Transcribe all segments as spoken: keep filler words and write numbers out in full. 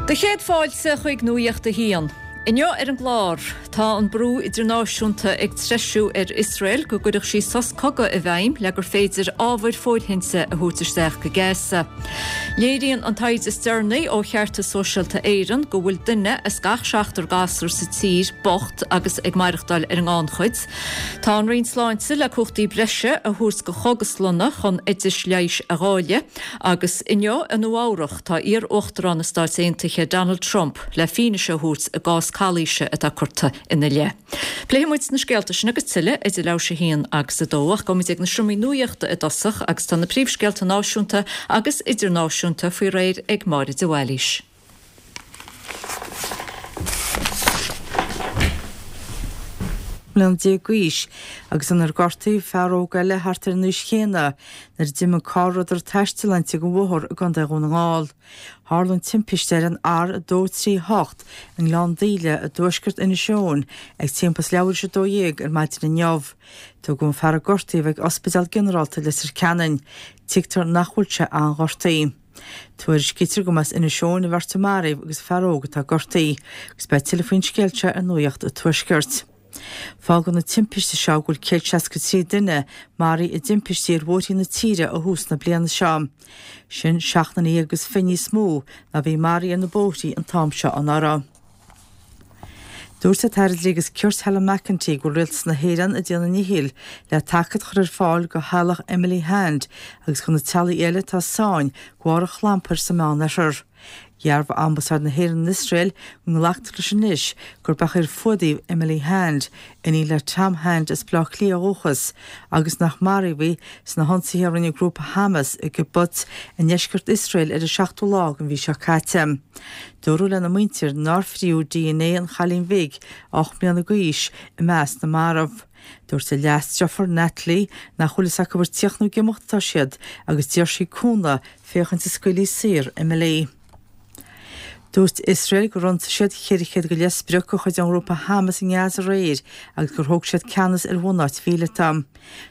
Do chéad fáilte chuig Nuacht a hAon. Inniu ar an gclár tá an brú idirnáisiúnta ag treisiú ar Iosrael go gcuirfeadh sí sos cogaidh i bhfeidhm le gur féidir ábhair fóirithinte a thabhairt isteach go Gaza. Léiríonn an taighde is deireanaí ó Cheartas Sóisialta Éireann go bhfuil duine as gach seachtar gasúr sa tír bocht agus ag maireachtáil ar an ngannchuid. Tá an Roinn Sláinte le cumhachtaí breise a thabhairt do chógaslanna chun oidis leighis a dháileadh agus inniu i Nua-Eabhrac tá iar-uachtarán na Stát Aontaithe Donald Trump le fianaise a thabhairt i gcás calaoise atá curtha ina leith. Pléifidh muid na scéalta sin agus tuilleadh idir leathuair tar éis a haon agus a dó ach gabhfaimid ag na seomraí nuachta i dtosach agus tá na príomhscéalta náisiúnta agus idirnáisiúnta faoi réir ag Máire de Bhailís. bliana déag d'aois agus inar gortaíodh fear óg eile thart ar an aois chéanna nuair a d'imigh carr a rabhadar ag taisteal inti den bhóthar i gContae Dhún na nGall. Tharla an timpiste ar an R a dó trí hocht i nGleann Daoile i dtuaisceart Inis Eoghain ag timpeall is leathuair tar éis a dó dhéag ar maidin inniu. Tugadh an fear a gortaíodh ag Ospidéal Ginearálta Leitir Ceanainn. Tuigtear nach bhfuil sé an-ghortaithe. Tuairiscítear go mba as Inis Eoghain an bheirt a maraíodh agus an fear óg atá gortaithe. Agus beidh tuilleadh faoin scéal seo ar Nuacht an Tuaiscirt. Fágann na timpiste seo go bhfuil céad seasca trí duine maraithe i dtimpistí ar bhóithrí na tíre ó thús na bliana seo. Sin seacht nduine dhéag agus fiche níos mó ná bhí maraithe ar na bóithrí an t-am seo anuraidh. Dúirt an tAire Dlí agus Cirt Helen McEntee go bhfuil Rialtas na hÉireann ag déanamh a ndíchill le tacaíocht a chur ar fáil do theaghlach Emily Hand agus do na teaghlaigh eile atá i sáinn de bharr an chlampair sa Meánoirthear. Dhearbhaigh Ambasáid na hÉireann in Iosrael go nglactar leis anois gurb é a fuadaíodh Emily Hand, iníon le Tom Hand as Baile Átha Cliath ó dhúchas, agus nach maraíodh í sna hionsaithe a rinne grúpa Hamas i gkibbutz i ndeisceart Iosrael ar an seachtú lá den mhí seo caite. Dúradh lena muintir nár fríodh DNA an chailín bhig, ocht mbliana d'aois, i measc na marbh. Dúirt a leasdeirfiúr Natalie nach bhfuil fhios acu ar tíocht nó ag imeacht atá siad agus d'iarr sí cúnamh féachaint an scaoilfí saor Emily. Dúirt Iosrael gur ionsaigh siad ceithre chéad go leith sprioc de chuid an ghrúpa Hamas i nGaza aréir agus gur thóg siad ceannas ar bhunáit mhíleata.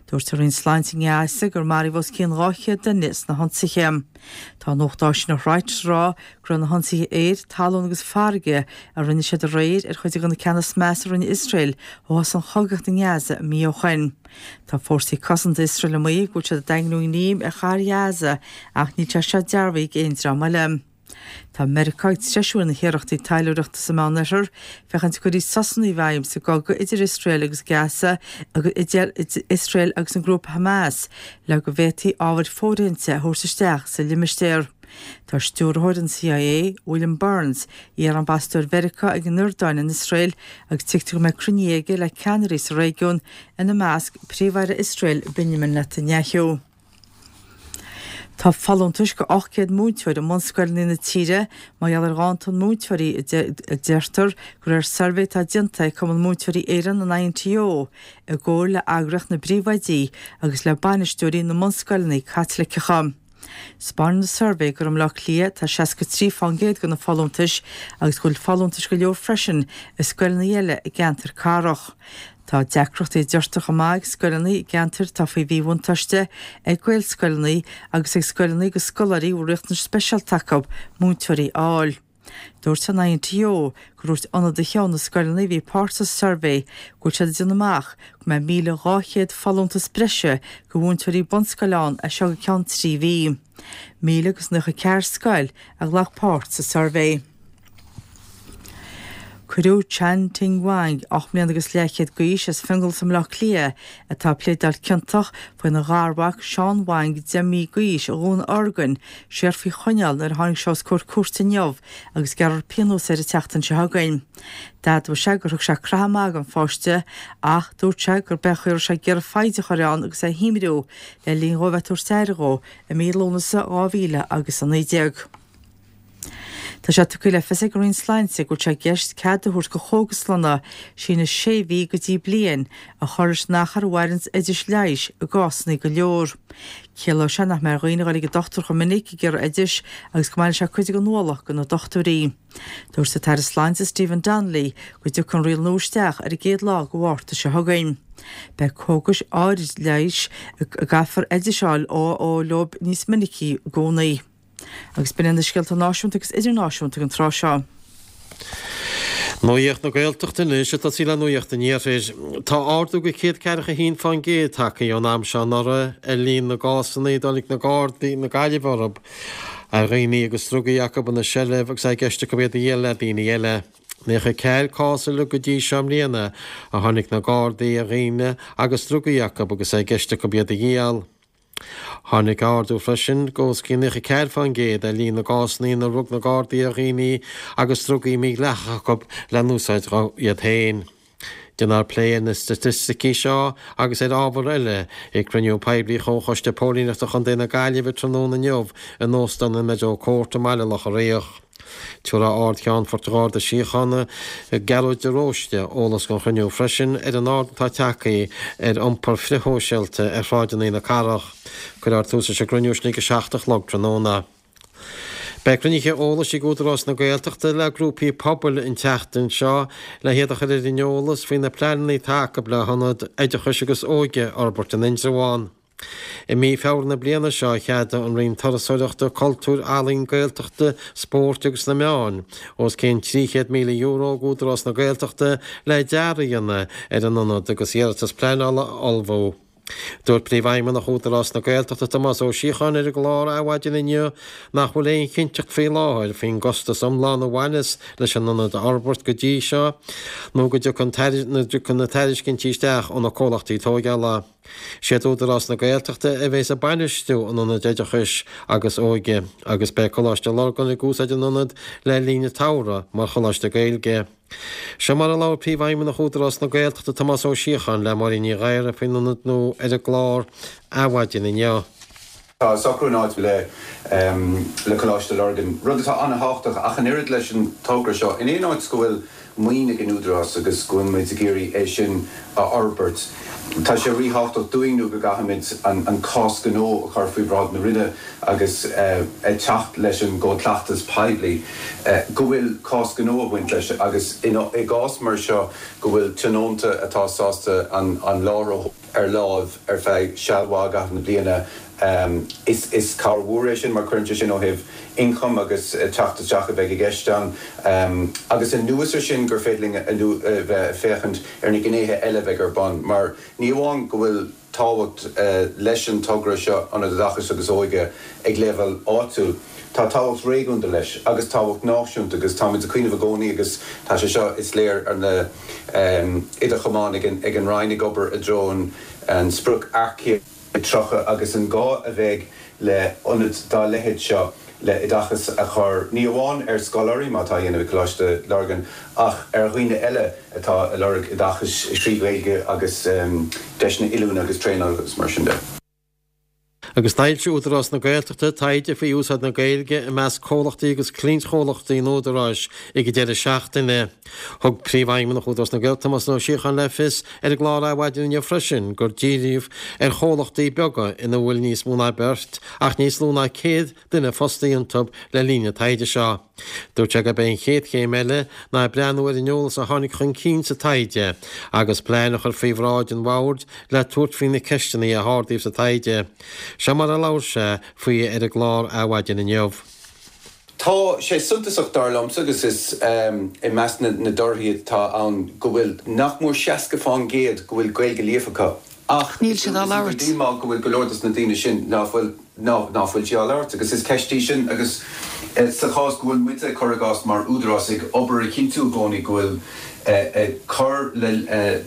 Dúirt an Roinn Sláinte i nGaza gur maraíodh os cionn dhá chéad duine sna hionsaithe. Tá an nuacht áisíneacht Reuters ag rá go raibh na hionsaithe aeir, talún agus farraige a rinne siad aréir ar chuid de na ceanna is measa a rinne Iosrael ó thosaigh an chogaíocht i nGaza mí ó shin. Tá fórsaí cosanta Iosrael ag maíomh go bhfuil siad ag daingniú a ngreim ar chathair Ghaza ach níl sé seo dearbhaithe ag aon dream eile. Tá Meiriceá ag treisiú na hiarrachtaí taidhleoireachta sa Meánoirthear féachaint go gcuirfí sosanna i bhfeidhm sa gcogadh idir Iosrael agus Gaza agus idir Iosrael agus an grúpa Hamas le go bhféadfaí ábhair fóirithinte a thabhairt isteach sa limistéar. Tá stiúrthóir an CIA, William Burns, iar-ambasadóir Mheiriceá ag an Iordáin in Iosrael agus tuigtear go mbeidh cruinniú aige le ceannairí sa réigiún, ina measc Príomh-Aire Iosrael Benjamin Netanyahu. Tá folúntais go ocht gcéad múinteoir i mbunscoileanna na tíre mar gheall ar ghanntan múinteoirí, a deirtear de réir suirbhé atá déanta ag Cumann Múinteoirí Éireann, an INTO, i gcomhar le Eagraíocht na bPríomhoidí agus le bainisteoirí na mbunscoileanna Caitliceacha. 'Spáineann an suirbhé gur i mBaile Átha Cliath atá seasca trí fán gcéad de na folúntais agus go bhfuil folúntais go leor freisin i scoileanna eile i gceantar cathrach. Tá deacrachtaí a deirtear chomh maith ag scoileanna i gceantair atá faoi mhíbhuntáiste, ag Gaelscoileanna agus ag scoileanna do scoláirí a bhfuil riachtanais speisialta acu, múinteoirí a fháil. Dúirt an INTO gur dhúirt ionadaithe ó na scoileanna a bhí páirteach sa suirbhé go bhfuil siad ag déanamh amach go mbeidh míle dhá chéad folúntas breise do mhúinteoirí bunscoile ann as seo go ceann trí mhí. Míle agus nócha ceathair scoil a ghlac páirt sa suirbhé. Cuireadh Chan Ting Wang, ocht mbliana agus leathchéad d'aois, as Fionnglas i mBaile Átha Cliath, atá ag pléadáil ciontach faoina gharmhac Seán Wang, deich mí d'aois, a dhúnorgain, siar faoi choinneáil nuair a tháinig sé os comhair cúirte inniu agus gearrfar pionós air an tseachtain seo chugainn. D'admhaigh sé gur thug sé croitheadh maith don pháiste ach dúirt sé gurb é an chaoi a raibh sé ag iarraidh foighid a chur ann agus é a shuaimhniú le linn dhó a bheith ag tabhairt aire dhó i mí Lúnasa dhá mhíle agus a naoi déag. Tá sé tugtha le fios ag an Roinn Sláinte go bhfuil sé i gceist cead a thabhairt do chógaslanna síneadh sé mhí go dtí bliain a chur leis an achar a mhaireanns oidis leighis i gcásanna go leor. Ciallóidh sé nach mbeidh ar dhaoine a dhul ag an dochtúir chomh minic ag iarraidh oidis agus go mbainfidh sé cuid den ualach de na dochtúirí. Dúirt an tAire Sláinte Stephen Donnelly go dtiocfaidh an riail nua isteach ar an gcéad lá de Mhárta seo chugainn. Beidh cógais áirid leighis a gcaithfear oidis a fháil ó leo níos minicí i gcónaí. Agus b'in na scéalta náisiúnta agus idirnáisiúnta an tráth seo. Nuacht na Gaeltachta anois ag tosaí le Nuacht an Iarthair. Tá ardú go céad ceathracha haon fán gcéad tagtha ón am seo anuraidh ar líon na gcásanna a dtáinig na Gardaí na Gaillimhe orthu ar dhaoine agus drugaí acu ina seilbh agus é i gceist acu iad a dhíol le daoine eile. Naocha ceathair cás uilig go dtí seo i mbliana a tháinig na Gardaí ar dhaoine agus drugaí acu agus é i gceist acu iad a dhíol. Tháinig ardú freisin go os cionn naocha ceathair fán gcéad ar líon na gcásanna inar rug na Gardaí ar dhaoine agus drugaí mídhleathacha acu le n-úsáid iad féin. Déanfar plé ar na staitisticí seo agus ar ábhar eile ag cruinniú poiblí Chomhchoiste Póilíneachta Chontae na Gaillimhe tráthnóna inniu in Óstán an Meadow Court i mBaile Locha Riach. Tabharfaidh Ard-Cheannfort Gharda Síochána, Gearóid de Róiste, eolas don chruinniú freisin ar an ardú atá tagtha ar iompar frithshóisialta ar shráideanna na cathrach. Cuirfear tús leis an gcruinniú sin ag a seacht a chlog tráthnóna. Beidh cruinnithe eolais ag Údarás na Gaeltachta le grúpaí pobail an tseachtain seo le hiad a chur ar an eolas faoi na pleananna atá acu le hionad oideachais agus óige a fhorbairt in Indreabhán. I mí Feabhra na bliana seo cheadaigh an Roinn Turasóireachta, Cultúir, Ealaíon, Gaeltachta, Spóirt agus na Meáin os cionn trí chéad míle euro d'Údarás na Gaeltachta le dearadh a dhéanamh ar an ionad agus iarratas pleanála a ullmhú. Dúirt Príomhfheidhmeannach Údarás na Gaeltachta Tomás Ó Síocháin ar an gclár Adhmhaidin inniu nach bhfuil aon chinnteacht faoi láthair faoin gcostas iomlán a bhaineas leis an ionad a fhorbairt go dtí seo nó go dtiocfaidh na tairiscintí isteach ó na comhlachtaí tóigeála. Siad Údarás na Gaeltachta a bheas ag bainistiú an Ionaid Oideachais agus Óige agus beidh Coláiste Lurgan ag úsáid an ionaid le linn an tsamhraidh mar choláiste Gaeilge. Seo mar a labhair Príomhfheidhmeannach Údarás na Gaeltachta Tomás Ó Síocháin le Máirín Ní Ghadhra faoin ionad nua ar an gclár Adhmhaidin inniu. Tá socrú in áit le le Coláiste Lurgan, rud atá an-thábhachtach ach an oiread leis an togra seo. In aon áit go bhfuil maoin ag an Údarás agus go bhfuil muid ag iarraidh é sin a fhorbairt, tá sé ríthábhachtach dúinn nó go gcaithfimid an cás gnó a chur faoi bhráid na Roinne agus ag teacht leis an gCód Cleachtais Poiblí go bhfuil cás gnó ag baint leis agus i gcás mar seo go bhfuil tionónta atá sásta an láthair ar láimh ar feadh seal mhaith i gcaitheamh na bliana. Is is cabhair mhór é sin mar cuireann sé sin ó thaobh ioncaim agus teacht isteach a bheidh i gceist ann agus anuas ar sin gur féidir linn a bheith ag féachaint ar na gnéithe eile a bheidh ar bun mar ní amháin go bhfuil tábhacht leis an togra seo Ionad Oideachais agus Óige ag leibhéal áitiúil, tá tábhacht réigiúnda leis agus tábhacht náisiúnta agus táimid ag cuimhneamh i gcónaí agus tá sé seo, is léir, ar na idir chamáin ag an Roinn ag obair i dtreo an sprioc earcaíochta tríocha agus an gá a bheidh le ionad dá leithéid seo le oideachas a chur ní amháin ar scoláirí, mar atá á dhéanamh ag Coláiste Lurgan, ach ar dhaoine eile atá ag lorg oideachais trí Ghaeilge agus deiseanna oiliúna agus traenála agus mar sin de. Agus d'fhoilsigh Údarás na Gaeltachta taighde faoi úsáid na Gaeilge i measc comhlachtaí agus cliantchomhlachtaí an Údaráis ag an deireadh seachtaine. Thug Príomhfheidhmeannach Údarás na Gaeltachta, Tomás Ó Síocháin le fios ar an gclár Adhmhaidin inniu freisin gur díríodh ar chomhlachtaí beaga ina bhfuil níos mó ná beirt ach níos lú ná céad duine fostaithe iontu le linn an taighde seo. Dúirt sé gurb é an chéad chéim eile ná breathnú ar an eolas a tháinig chun cinn sa taighde agus plean a chur faoi bhráid an bhoird le tabhairt faoi na ceisteanna a hardaíodh sa taighde. Seo mar a labhair sé faoi ar an gclár Adhmhaidin inniu. Tá sé suntasach dar liomsa agus is i measc na dtorthaí atá ann go bhfuil nach mór seasca fán gcéad go bhfuil Gaeilge líofa acu ach Níl siad á labhairt. Díomá go bhfuil go leor dos na daoine sin ná fuil ná fuil sí á labhairt agus is ceist í sin agus sa chás go bhfuil muide, cuir i gcás, mar údarás ag obair a chinntiú i gcónaí go bhfuil ag cur le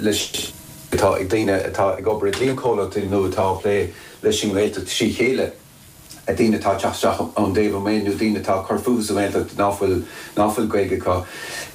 leis atá ag daoine atá ag obair i gcliantchomhlachtaí nó atá ag plé leis an nGaeltacht trí chéile. daoine atá ag teacht isteach ón dtaobh amuigh nó daoine atá ag cur fúthu sa Ghaeltacht ná fuil ná fuil Gaeilge acu.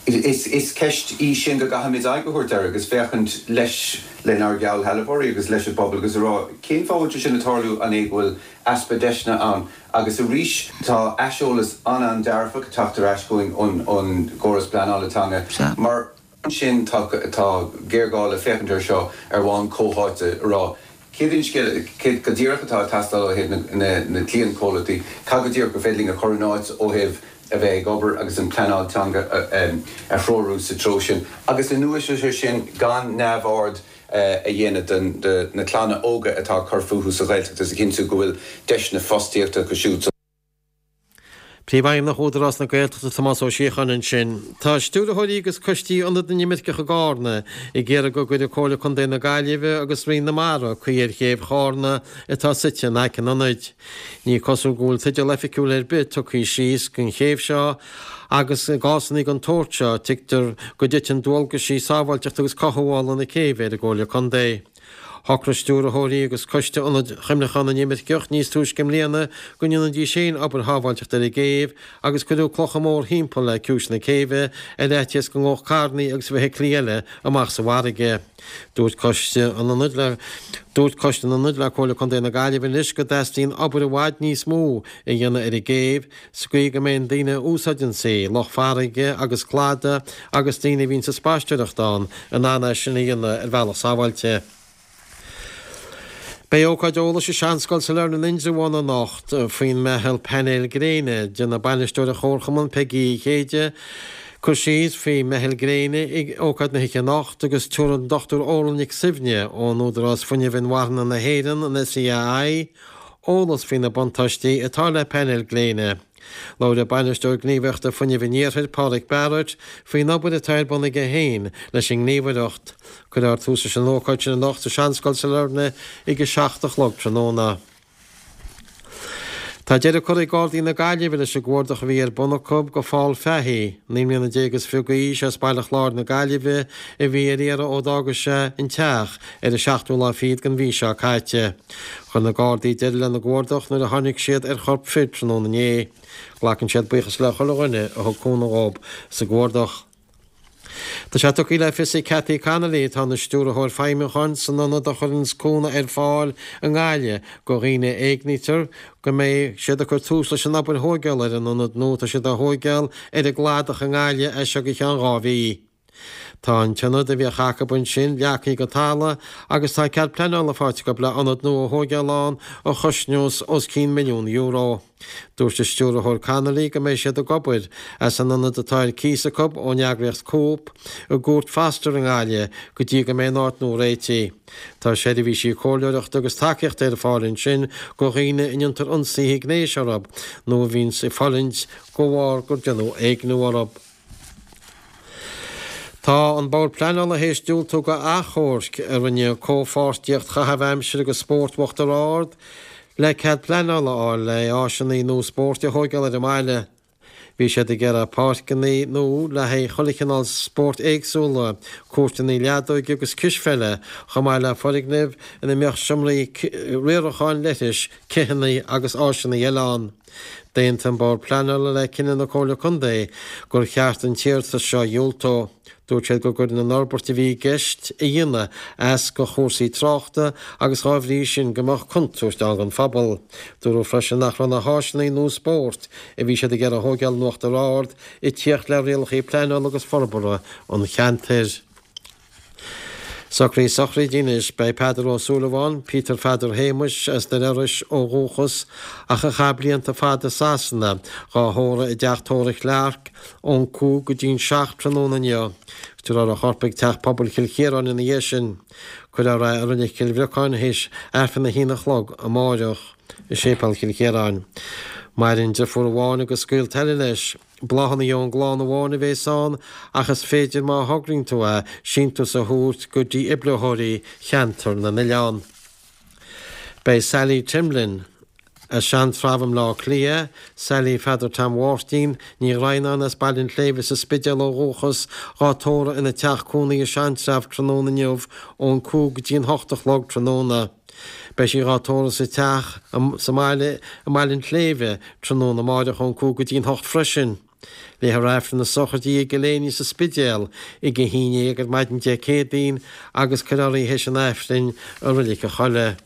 Is is ceist í sin go gcaithfimid aghaidh a thabhairt air agus féachaint leis lenár geallshealbhóirí agus leis an bpobal agus a rá cén fáth a bhfuil sé sin ag tarlú, an é go bhfuil easpa deiseanna ann? Agus arís tá aiseolas an-an-dearfach ag teacht ar ais chugainn ón ón gcóras pleanála teanga mar sin tá tá géarghá le féachaint air seo ar bhonn comhtháite a rá Céard é an scéal, céard go díreach atá ag teastáil ó thaobh na cliantchomhlachtaí, cad go díreach gur féidir linn a chur in áit ó thaobh a bheith ag obair agus an pleanáil teanga a threorú sa treo sin, agus anuas air sin gan neamhaird a dhéanamh de na clanna óga atá ag cur fúthu sa Ghaeltacht agus a chinntiú go bhfuil deiseanna fostaíochta acu siúd sa. Príomhfheidhmeannach Údarás na Gaeltachta Tomás Ó Síocháin ansin. Tá stiúrthóirí agus coistí Ionad na nImirceach i gCárna ag iarraidh go gcuirfidh Comhairle Contae na Gaillimhe agus Roinn na Mara caoi ar chéibh Chárna atá suite in aice an ionaid. Ní cosúil go bhfuil teideal oifigiúil ar bith tugtha síos don chéibh seo agus i gcásanna den tsórt seo tuigtear go dtiteann dualgaisí sábháilteachta agus cothabhála na céibhe ar an gComhairle Contae. Shocraigh stiúrthóirí agus coiste Ionad Chuimhneacháin na nImirceach níos túisce i mbliana go ndéanfaidís féin obair shábháilteachta ar an gcéibh agus cuireadh clocha mór thimpeall le ciumhais na céibhe ar fhaitíos go ngabhfadh carranna agus feithiclí eile amach sa bhfarraige. Dúirt coiste an ionaid le Dúirt coiste an ionaid le Comhairle Contae na Gaillimhe anois go dteastaíonn obair i bhfad níos mó a dhéanamh ar an gcéibh sa gcaoi go mbeidh na daoine a úsáideann í, lucht farraige agus cladaigh agus daoine a bhíonn ag spaisteoireacht ann, in ann é sin a dhéanamh ar bhealach sábháilte. Beidh ócáid eolais i Seanscoil Sailearna in Indreabhán anocht faoin meitheal painéil gréine. Déanfaidh bainisteoir an Chomharchumainn, Peigí Uí Chéide, cur síos faoi meitheal gréine ag ócáid na hoíche anocht agus tabharfaidh an Dochtúir Órla Nic Suibhne ón Údarás Fuinnimh Inmharthana na hÉireann, an SEAI, eolas faoi na buntáistí atá le painéil gréine. Labhróidh bainisteoir gníomhaíochta Fuinnimh an Iarthair, Pádraig Barrett, faoin obair atá ar bun aige féin leis an ngníomhaireacht. Cuirfear tús leis an ócáid sin anocht sa Seanscoil Sailearna ag a seacht a chlog tráthnóna. Tá deireadh curtha ag Gardaí na Gaillimhe leis an gcuardach a bhí ar bun acu do Phól Fahy, naoi mbliana déag is fiche d'aois as Baile Chláir na Gaillimhe, a bhí ar iarraidh ó d'fhága sé an teach ar an seachtú lá fichead den mhí seo caite. Chuir na Gardaí deireadh lena gcuardach nuair a tháinig siad ar chorp fir tráthnóna inné. Glacann siad buíochas le chuile dhuine a thug cúnamh dhób sa gcuardach. Tá sé tugtha le fios ag Cathy Connolly, atá ina stiúrthóir feidhmiúcháin san ionad a chuireanns cúnamh ar fáil i nGaillimh do dhaoine a éignítear, go mbeidh siad ag cur tús leis an obair thóigeála ar an ionad nua atá siad á thóigeáil ar an gcladach i nGaillimh as seo go ceann dhá mhí. Tá an t-ionad a bhíodh acu ansin leagtha go talamh agus tá cead pleanála faighte acu le ionad nua a thóigeáil ann a chosnós os cionn milliún euro. Dúirt an Stiúrthóir Connolly go mbeidh siad ag obair as an ionad atá ar cíos acu ón eagraíocht Cope i gCúirt Foster i nGaillimh go dtí go mbeidh an áit nua réitithe. Tá seirbhísí comhairleoireachta agus tacaíochta ar fáil ansin do dhaoine a ndéantar ionsaithe gnéis orthu nó a bhíonns ag fulaingt de bharr gur déanadh éigniú orthu. Tá an Bord Pleanála théis diúltú do achomharc a rinne Comhpháirtíocht Chaitheamh Aimsire agus Spóirt Uachtar Ard le cead pleanála a fháil le áiseanna nua spóirt a thóigeáil ar an mbaile. Bhí siad ag iarraidh páirceanna nua le haghaidh chuile chineál spóirt éagsúla, cúirteanna leadóige agus cispheile, chomh maith le foirgnimh ina mbeadh seomraí riaracháin, leithris, cithíní agus áiseanna eile ann. D'aontaigh an Bord Pleanála le cinneadh na Comhairle Contae gur cheart an t-iarratas seo a dhiúltú. Dúirt siad go gcuireann an fhorbairt a bhí i gceist a dhéanamh as do chúrsaí tráchta agus dhá bhrí sin go mbeadh contúirt ann don phobal. Dúradh freisin nach raibh na háiseanna nua spóirt a bhí siad ag iarraidh a thóigeáil in Uachtar Ard ag tíocht le rialacha pleanála agus forbartha an cheantair. Socruithe sochraide anois. Beidh Peadar Ó Súilleabháin, Peter Pheadair Shéamuis, as Doire Iorrais ó dhúchas ach a chaith blianta fada i Sasana, dhá thórramh i dteach tórraimh Chlarke ón cúig go dtí'n seacht tráthnóna inniu. Tabharfar a chorp ag Teach Pobail Chill Chiaráin ina dhiaidh sin. Cuirfear é i Reilig Chill Bhriocáin théis Aifreann a haon a chlog amáireach i Séipéal Chill Chiaráin. Maireann deirfiúr amháin agus gaolta eile leis. Bláthanna ón gclann amháin a bhéas ann ach is féidir má thograíonn tú é, síntiús a thabhairt go dhífhibritheoirí Cheantar na nOileán. Beidh Sally Timlin, as Sean-Treabh i mBleá Cliath, Sally Pheadair Tom Mháirtín, Ní Dhroighneáin as Baile an tSléibhe sa Spidéal ó dhúchas, dhá tórramh ina teach cónaí i Sean-Treabh tráthnóna inniu ón cúig go dtí an hocht a chlog tráthnóna. Beidh sí dhá tórramh sa teach sa mbaile i mBaile an tSléibhe tráthnóna amáireach ón cúig go dtí an hocht freisin. Léifear Aifreann na sochraide i gCill Éinne sa Spidéal ag a haon déag ar maidin Dé Céadaoin agus cuirfear í théis an Aifrinn i Reilig an Chollaigh.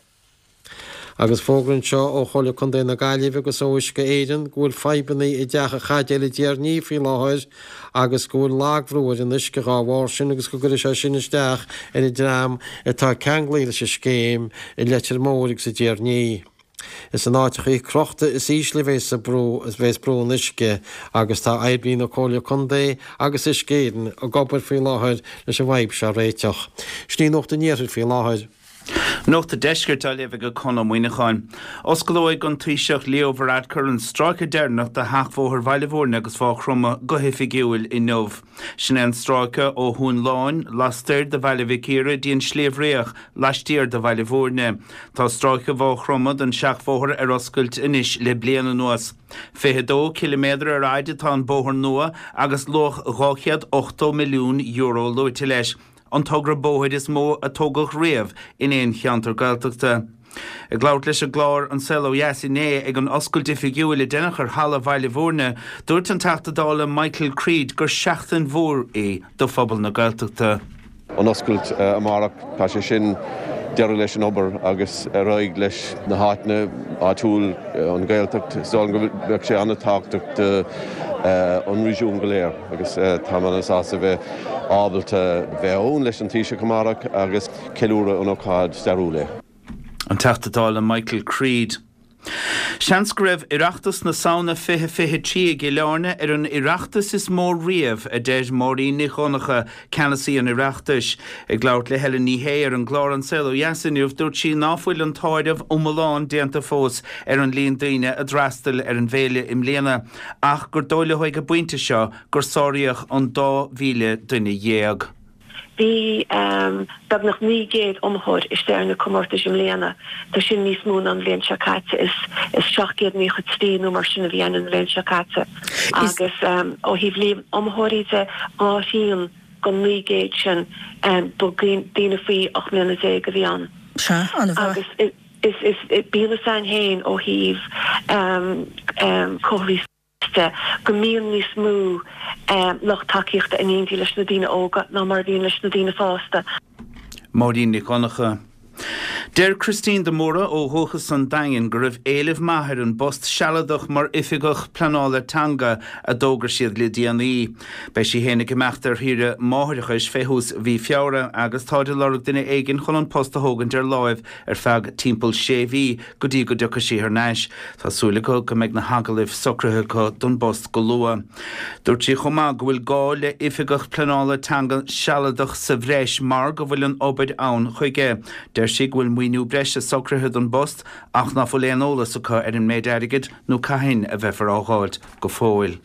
Agus fógra anseo ó Chomhairle Contae na Gaillimhe agus ó Uisce Éireann go bhfuil fadhbanna i dTeach an Chaidéil i dTír an Fhia faoi láthair agus go bhfuil lagbhrú ar an uisce dhá bharr sin agus go gcuirfidh sé sin isteach ar an dream atá ceanglaithe leis an scéim i Leitir Móir agus i dTír an Fhia. Is in áiteachaí crochta is ísle a bhéas brú a bhéas brú an uisce agus tá oibrithe na Comhairle Contae agus Uisce Éireann ag obair faoi láthair leis an bhfadhb seo a réiteach. Sin í Nuacht an Iarthair faoi láthair. Nuacht an Deiscirt á léamh ag Conn Ó Muíneacháin. Osclóidh an Taoiseach Leo Varadkar an stráice deireanach de sheachbhóthar Bhaile Bhúirne agus Mhaigh Chromtha go hoifigiúil inniu. Sin é an stráice ó Thóin Láin, lastoir de Bhaile Mhic Íre dtí an Sliabh Riach, laistiar de Bhaile Bhúirne. Tá stráice Mhaigh Chromtha den seachbhóthar ar oscailt anois le bliain anuas. Fiche dó ciliméadar ar fhaid atá an bóthar nua agus luach dhá chéad ochtó milliún euro luaite leis. an togra bóthair is mó a tógadh riamh in aon cheantar Gaeltachta. Ag labhairt leis an gclár An Saol Ó Dheas inné ag an oscailt oifigiúil a deineadh ar Halla Bhaile Bhúirne, dúirt an Teachta Dála Michael Creed gur seachtain mhór í do phobal na Gaeltachta. An oscailt amárach, tá sé sin deireadh leis an obair agus ar aghaidh leis na háiteanna áitiúil, an Ghaeltacht, is dóigh liom go mbeadh sé an-tábhachtach do an réigiún go léir agus táim an-sásta bheith ábalta bheith ann leis an Taoiseach amárach agus ceiliúradh an ócáid stairiúil é. An Teachta Dála Michael Creed. Seans go raibh Oireachtas na Samhna fiche fiche trí i gCill Airne ar an Oireachtas is mó riamh, a deir Máirín Nic Dhonncha, ceannasaí an Oireachtais. Ag labhairt le Helen Ní Shé ar an gclár An Saol Ó Dheas inniu, dúirt sí ná fuil an t-áireamh iomlán déanta fós ar an líon daoine a d'fhreastail ar an bhféile i mbliana, ach gur dóigh leo ag an bpointe seo gur sáraíodh an dá mhíle duine dhéag. Bhí beagnach naoi gcéad iomaitheoir istigh ar na comórtais i mbliana. Tá sin níos mó ná an bhliain seo caite. Is seacht gcéad naocha trí nó mar sin a bhí ann an bhliain seo caite. Agus ó thaobh líon iomaitheoirí de, dhá thrian den naoi gcéad sin ba daoine faoi ocht mbliana déag a bhí ann. Sea, an-mhaith. Agus is bíonn fhios a'inn féin ó thaobh comharthaí. de go mbíonn níos mó lucht tacaíochta in éindí leis na daoine óga ná mar a bhíonn leis na daoine fásta. Máirín Nic Dhonncha. Deir Christine de Mórdha ó dhúchas an Daingin go raibh éileamh maith ar an bpost sealadach mar Oifigeach Pleanála Teanga a d'fhógair siad le déanaí. Beidh sí féin ag imeacht ar shaoire máithreachais fé thús mhí Feabhra agus táid ag lorg duine éigin chun an post a thógaint ar láimh ar feadh timpeall sé mhí go dtí go dtiocfaidh sí thar n-ais. Tá súil acu go mbeidh na hagallaimh socraithe acu don bpost go luath. Dúirt sí chomh maith go bhfuil gá le oifigeach pleanála teanga sealadach sa bhreis mar go bhfuil an obair ann chuige. Deir sí go bhfuil maoiniú breise socraithe don bpost ach ná fuil aon eolas acu ar an méid airgid nó cathain a bheifear á dháilt go fóill.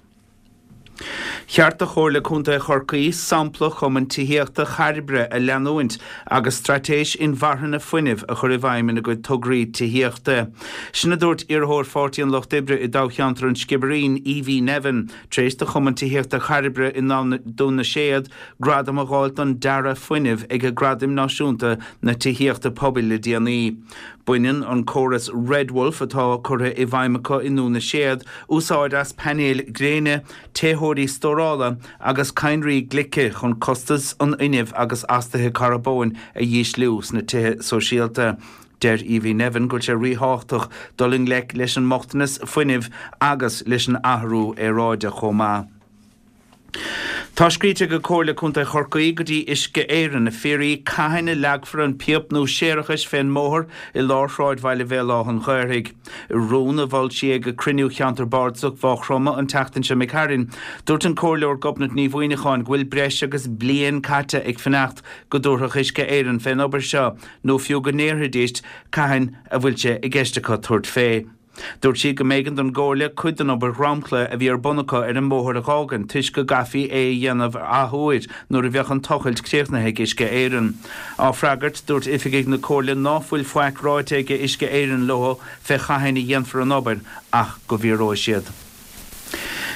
Cheart do Chomhairle Contae Chorcaí sampla Chumann Tithíochta Chairbre a leanúint agus straitéis inmharthana fuinnimh a chur i bhfeidhm ina gcuid tograí tithíochta. Sin a dúirt iarrthóir Pháirtí an Lucht Oibre i dtoghcheantar an Sciobairín, Evie Nevin, tar éis do Chumann Tithíochta Chairbre i nDún na Séad gradam a dh'fháilt don dearadh fuinnimh ag Gradaim Náisiúnta na Tithíochta Pobail le déanaí. Baineann an córas Red Wolf atá curtha i bhfeidhm acu i nDún na Séad úsáid as painéil gréine, téitheoirí stórála agus cadhnraí glice chun costas an fhuinnimh agus astuithe carbóin a dhísliú sna tithe sóisialta. Deir Evie Nevin go bhfuil sé ríthábhachtach dul i ngleic leis an mbochtanas fuinnimh agus leis an athrú aeráide chomh maith. Tá scríte ag Comhairle Contae Chorcaí go dtí Uisce Éireann ag fiafraí cathain a leagfar an píopa nua séarachais fén mbóthar i lár shráidbhaile Bhéal Átha an Ghaorthaidh. I rún a mhol sí ag cruinniú Cheantar Bardasach Mhaigh Chromtha an tseachtain seo imigh tharainn, dúirt an Comhairleoir Gobnait Ní Mhuineacháin go bhfuil breis agus bliain caite ag fanacht go dtabharfadh Uisce Éireann fén obair seo nó fiú go ndéarfaidís cathain a bhfuil sé i gceist acu tabhairt fé. Dúirt sí go mb'éigean don gComhairle cuid den obair dhromchla a bhí ar bun acu ar an mbóthar a dh'fhágaint toisc go gcaithfí é a dhéanamh athuair nuair a bheadh an tochailt críochnaithe ag Uisce Éireann. Á freagairt, dúirt oifigigh na Comhairle ná fuil faic ráite ag Uisce Éireann leo fé chathain a dhéanfar an obair ach go bhfiafróidh siad.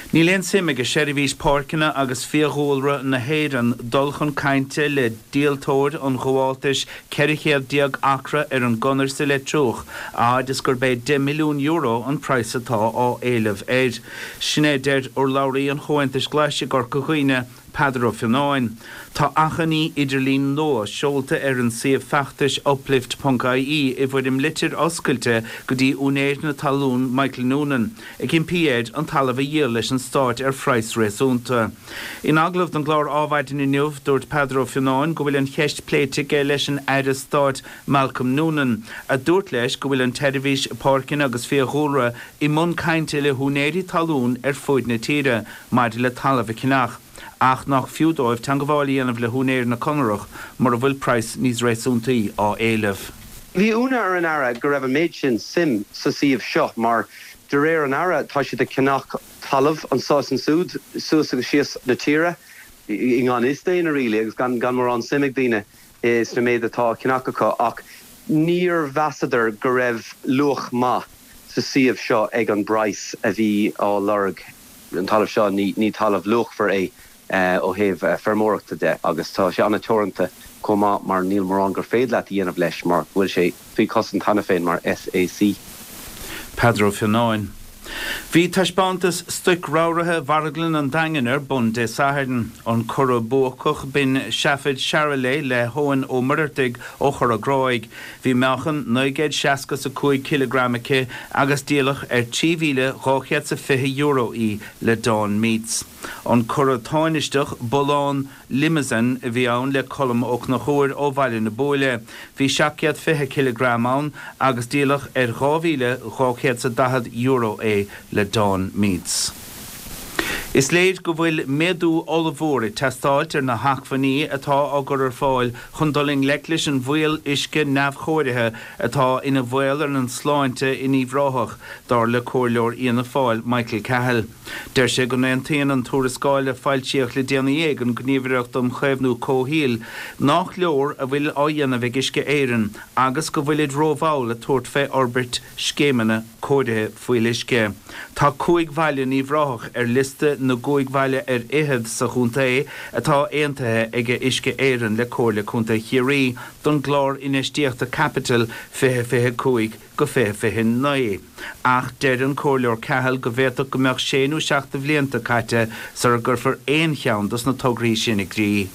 Níl aon suim ag Seirbhís Páirceanna agus Fiadhúlra na hÉireann dul chun cainte le díoltóir an ghabháltais ceithre chéad déag acra ar an gConair sa Leitriúch, a fhad is gurb é deich milliún euro an praghas atá á éileamh air. Sin é a deir urlabhraí an Chomhaontais Ghlais i gCorca Dhuibhne, Peadar Ó Fionnáin. Tá achainí idirlín nua seolta ar an suíomh feachtais Uplift ponc ie i bhfoirm litir oscailte go dtí úinéir na talún Michael Noonan, ag impí air an talamh a dhíol leis an Stát ar phraghas réasúnta. In agallamh don gclár Ádhmhaidin inniu, dúirt Peadar Ó Fionnáin go bhfuil an cheist pléite aige leis an Aire Stáit Malcolm Noonan, a dúirt leis go bhfuil an tSeirbhís Páirceanna agus Fiadhúlra i mbun cainte le húinéirí talún ar fuaid na tíre maidir le talamh a cheannach. ach nach fiú dóibh teagmháil a dhéanamh le húinéir na conarach mura bhfuil praghas níos réasúntaí á éileamh. Bhí ionadh ar an Aire go raibh an méid sin suim sa suíomh seo mar de réir an Aire tá siad ag ceannach talamh anseo is ansiúd suas agus síos na tíre i ngan fhios d'éinne really agus gan gan mórán suim ag daoine sna méid atá á cheannach acu ach níor mheasadar go raibh luach maith sa suíomh seo ag an bpraghas a bhí á lorg. An talamh seo ní ní talamh luachmhar é ó thaobh feirmeoireachta de agus tá sé an-teoranta chomh maith mar níl mórán gur féidir leat a dhéanamh leis mar go bhfuil sé faoi chosaint cheana féin mar SAC. Peadar Ó Fionnáin. Bhí taispeántas stoic ramhraithe Mharglann an Daingin ar bun Dé Sathairn. An curadh buacach b'in seafad Charolais le hEoin Ó Muircheartaigh ó Chora Gráig. Bhí meáchan naoi gcéad seasca 's a cúig cileagram aici agus díoladh ar trí mhíle dhá chéad 's a fiche euro í le Dawn Meats. An curadh tánaisteach, bullán Limousin a bhí ann le Colm Ó Conchúir ó Bhaile na Buaile. Bhí seacht gcéad fiche cileagram ann agus díoladh ar dhá mhíle dhá chéad 's a daichead euro é le Dawn Meats. Is léir go bhfuil méadú ollmhór ag teastáilt ar na hacmhainní atá á gcur ar fáil chun dul i ngleic leis an bhfuíoll uisce neamhchóirithe atá ina bhaol ar an tsláinte in Uíbh Ráthach, dar le Comhairleoir Fhianna Fáil Michael Cahill. Deir sé go n-aontaíonn an tuarascáil a foilsíodh le déanaí ag an Gníomhaireacht um Chaomhnú Comhshaoil nach leor a bhfuil á dhéanamh ag Uisce Éireann agus go bhfuilid rómhall ag tabhairt fé fhorbairt scéimeanna cóirithe fuíolluisce. Tá cúig bhaile in Uíbh Ráthach ar liosta na gcúig bhaile ar fhichead sa chontae atá aontaithe ag Uisce Éireann le Comhairle Contae Chiarraí don gclár infheistíochta caipitil fiche fiche cúig go fiche fiche naoi. Ach deir an Comhairleoir Cahill go bhféadfadh go mbeadh sé nó seacht de bhlianta caite sara gcuirfear aon cheann dos na tograí sin i gcrích.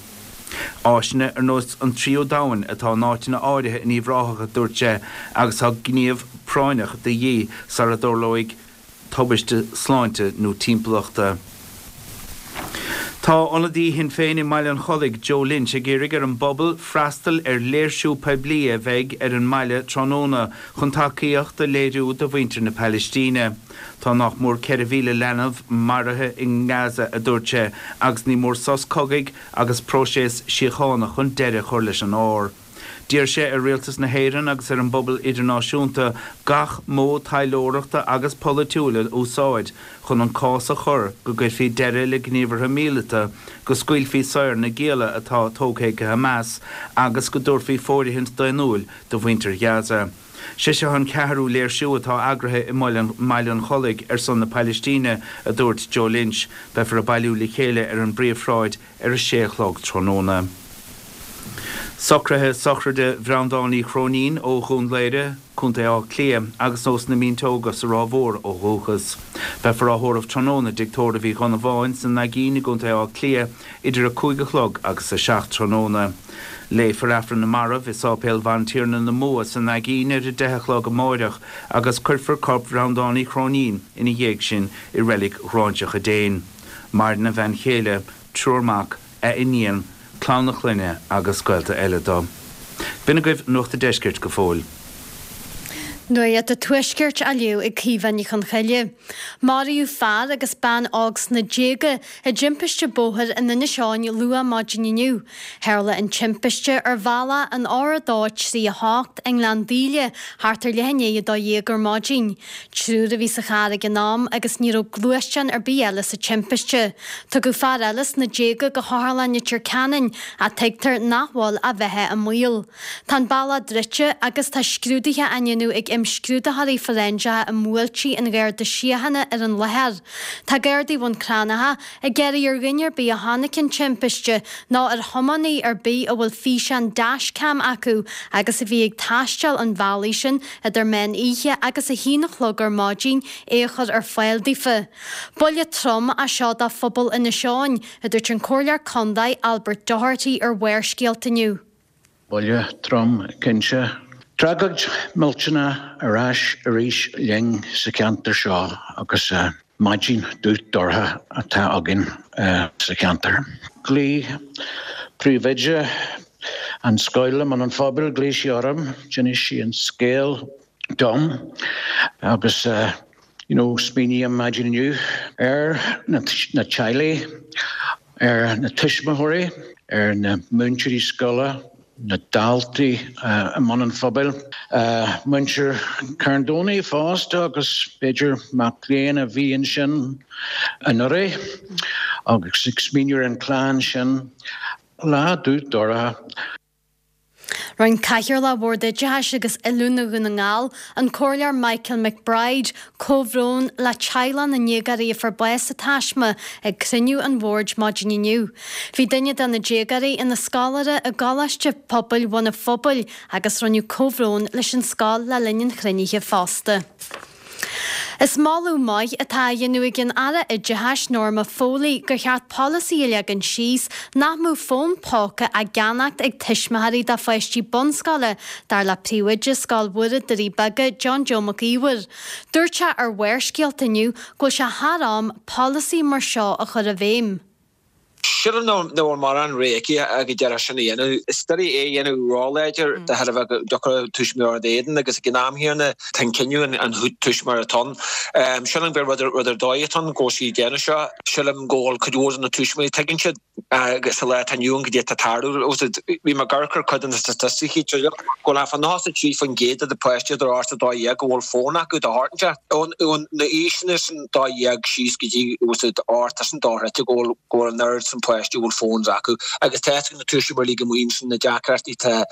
Áiseanna ar nós an tríú domhain atá in áiteanna áirithe in Uíbh Ráthach, a dúirt sé, agus tá gníomh práinneach de dhíth sara dtarlóidh tubaiste sláinte nó timpeallachta. Tá ionadaí Shinn Féin i mBaile an Chollaigh, Joe Lynch, ag iarraidh ar an bpobal freastal ar léirsiú poiblí a bheidh ar an mbaile tráthnóna chun tacaíocht a léiriú do mhuintir na Palaistíne. Tá nach mór ceithre mhíle leanbh maraithe i nGaza, a dúirt sé, agus ní mór sos cogaidh agus próiseas síochána chun deireadh a chur leis an ár. D'iarr sé ar Rialtas na hÉireann agus ar an bpobal idirnáisiúnta gach modh taidhleoireachta agus polaitiúil a úsáid chun an cás a chur go gcuirfí deireadh le gníomhartha míleata, go scaoilfí saor na gialla atá tógtha ag Hamas agus go dtabharfaí fóirithint daonnúil do mhuintir Ghaza. Sé seo an ceathrú léirsiú atá eagraithe i mBaile an Chollaigh ar son na Palaistíne, a dúirt Joe Lynch. Beifear ag bailiú le chéile ar an bpríomhshráid ar a sé a chlog tráthnóna. Socruithe sochraide Bhreandáin Uí Chróinín ó Dhún Laoghaire, Contae Átha Cliath, agus ós na Mínteoga sa Ráth Mhór ó dhúchas. Beifear á thórramh tráthnóna i dTigh Tórraimh Uí Dhonnabháin sa Naigín i gContae Átha Cliath idir a cúig a chlog agus a seacht tráthnóna. Léifear Aifreann na Marbh i Sáipéal Bhantiarna na Mumha sa Naigín ar a deich a chlog amáireach agus cuirfear corp Bhreandáin Uí Chróinín ina dhiaidh sin i Reilig Ghráinseach an Déin. Maireann a bhean chéile, triúr mac, a iníon, clann a chlainne agus gaolta eile dó. B'in agaibh Nuacht an Deiscirt go fóill. Nuacht an Tuaiscirt á léamh ag Caoimhe Ní Chonchoille. Maraíodh fear agus bean óg sna déaga i dtimpiste bóthair in Inis Eoghain luath maidin inniu. Tharla an timpiste ar bhealach an R a dó trí a hocht i nGleann Daoile thart ar leath i ndiaidh a dó dhéag ar maidin. Triúr a bhí sa charr ag an am agus ní raibh gluaisteán ar bith eile sa timpiste. Tugadh fear eile sna déaga go hOtharlann Leitir Ceanainn ach tuigtear nach bhfuil a bheatha i mbaol. Tá an bealach druidte agus tá scrúduithe á ndéanamh ag imscrúdaitheoirí fóiréinseacha i mbuailtí an Gharda Síochána ar an láthair. Tá Gardaí Bhun Cranncha ag iarraidh ar dhuine ar bith a chonaic an timpiste nó ar thiománaí ar bith a bhfuil físeán dashcam acu agus a bhí ag taisteal an bhealaigh sin idir meán oíche agus a haon a chlog ar maidin é a chur ar fáil daofa. Buille trom é seo do phobal Inis Eoghain, a dúirt an Comhairleoir Contae Albert Doherty ar Bharrscéalta inniu. Buille trom, cinnte. Tragóid millteanach ar ais arís linn sa cheantar seo agus maidin dubh dorcha atá againn sa cheantar. Ghlaoigh príomhoide an scoil i mBun an Phobail, ghlaoigh sí orm, d'inis sí an scéal dom agus you know smaoiním maidin inniu ar na teaghlaigh ar na tuismitheoirí, ar na múinteoirí scoile, na daltaí i mbun an phobail, muintir Charn Domhnaigh fosta agus b'fhéidir mac léinn a bhí ansin anuraidh agus ag smaoineamh ar an chlann sin. Lá dubh dorcha. Rinne Cathaoirleach Bhord Oideachais agus Oiliúna Dhún na nGall, an Comhairleoir Michael McBride, comhbhrón le teaghlach na ndéagóirí a fuair bás sa taisme ag cruinniú an Bhoird maidin inniu. Bhí duine de na déagóirí ina scoláire i gColáiste Pobail Bhun an Phobail agus rinneadh comhbhrón leis an scoil le linn an chruinnithe fosta. Is moladh maith atá á dhéanamh ag an Aire Oideachais Norma Foley gur cheart polasaí a leagan síos nach mbeadh fón póca á gceannacht ag tuismitheoirí do pháistí bunscoile, dar le Príomhoide Scoil Mhuire Doirí Beaga, John Joe Mac Íomhair. Dúirt sé ar Bharrscéalta inniu go bhfuil sé thar am polasaí mar seo a chur i bhfeidhm. Sílim nach bhfuil mórán rogha aici ach go díreach sin a dhéanamh. Is doiligh é a dhéanamh róláidir de thairbhe go dtiocfadh tuismitheoir ina éadan agus ag an am chéanna tá an cinneadh an tuismitheoir atá ann. Sílim gur rud ar dóigh atá ann go bhfuil sí ag déanamh seo. Sílim go bhfuil cuid mhór de na tuismitheoirí, tuigeann siad sa lá atá inniu ann goidé atá ag tarlú. Bhí mé ag amharc ar cuid de na staitisticí go bhfuil thart fá nócha a trí faoin gcéad de na páistí idir ocht is a dó dhéag go bhfuil fón acu de shórt inteacht. Ó na aoiseanna sin dó dhéag síos go dtí ocht is an dá throithe go bhfuil go bhfuil an oiread sin páistí a bhfuil phones acu agus tá fhios ag na tuismitheoirí go maith ansin na deacrachtaí atá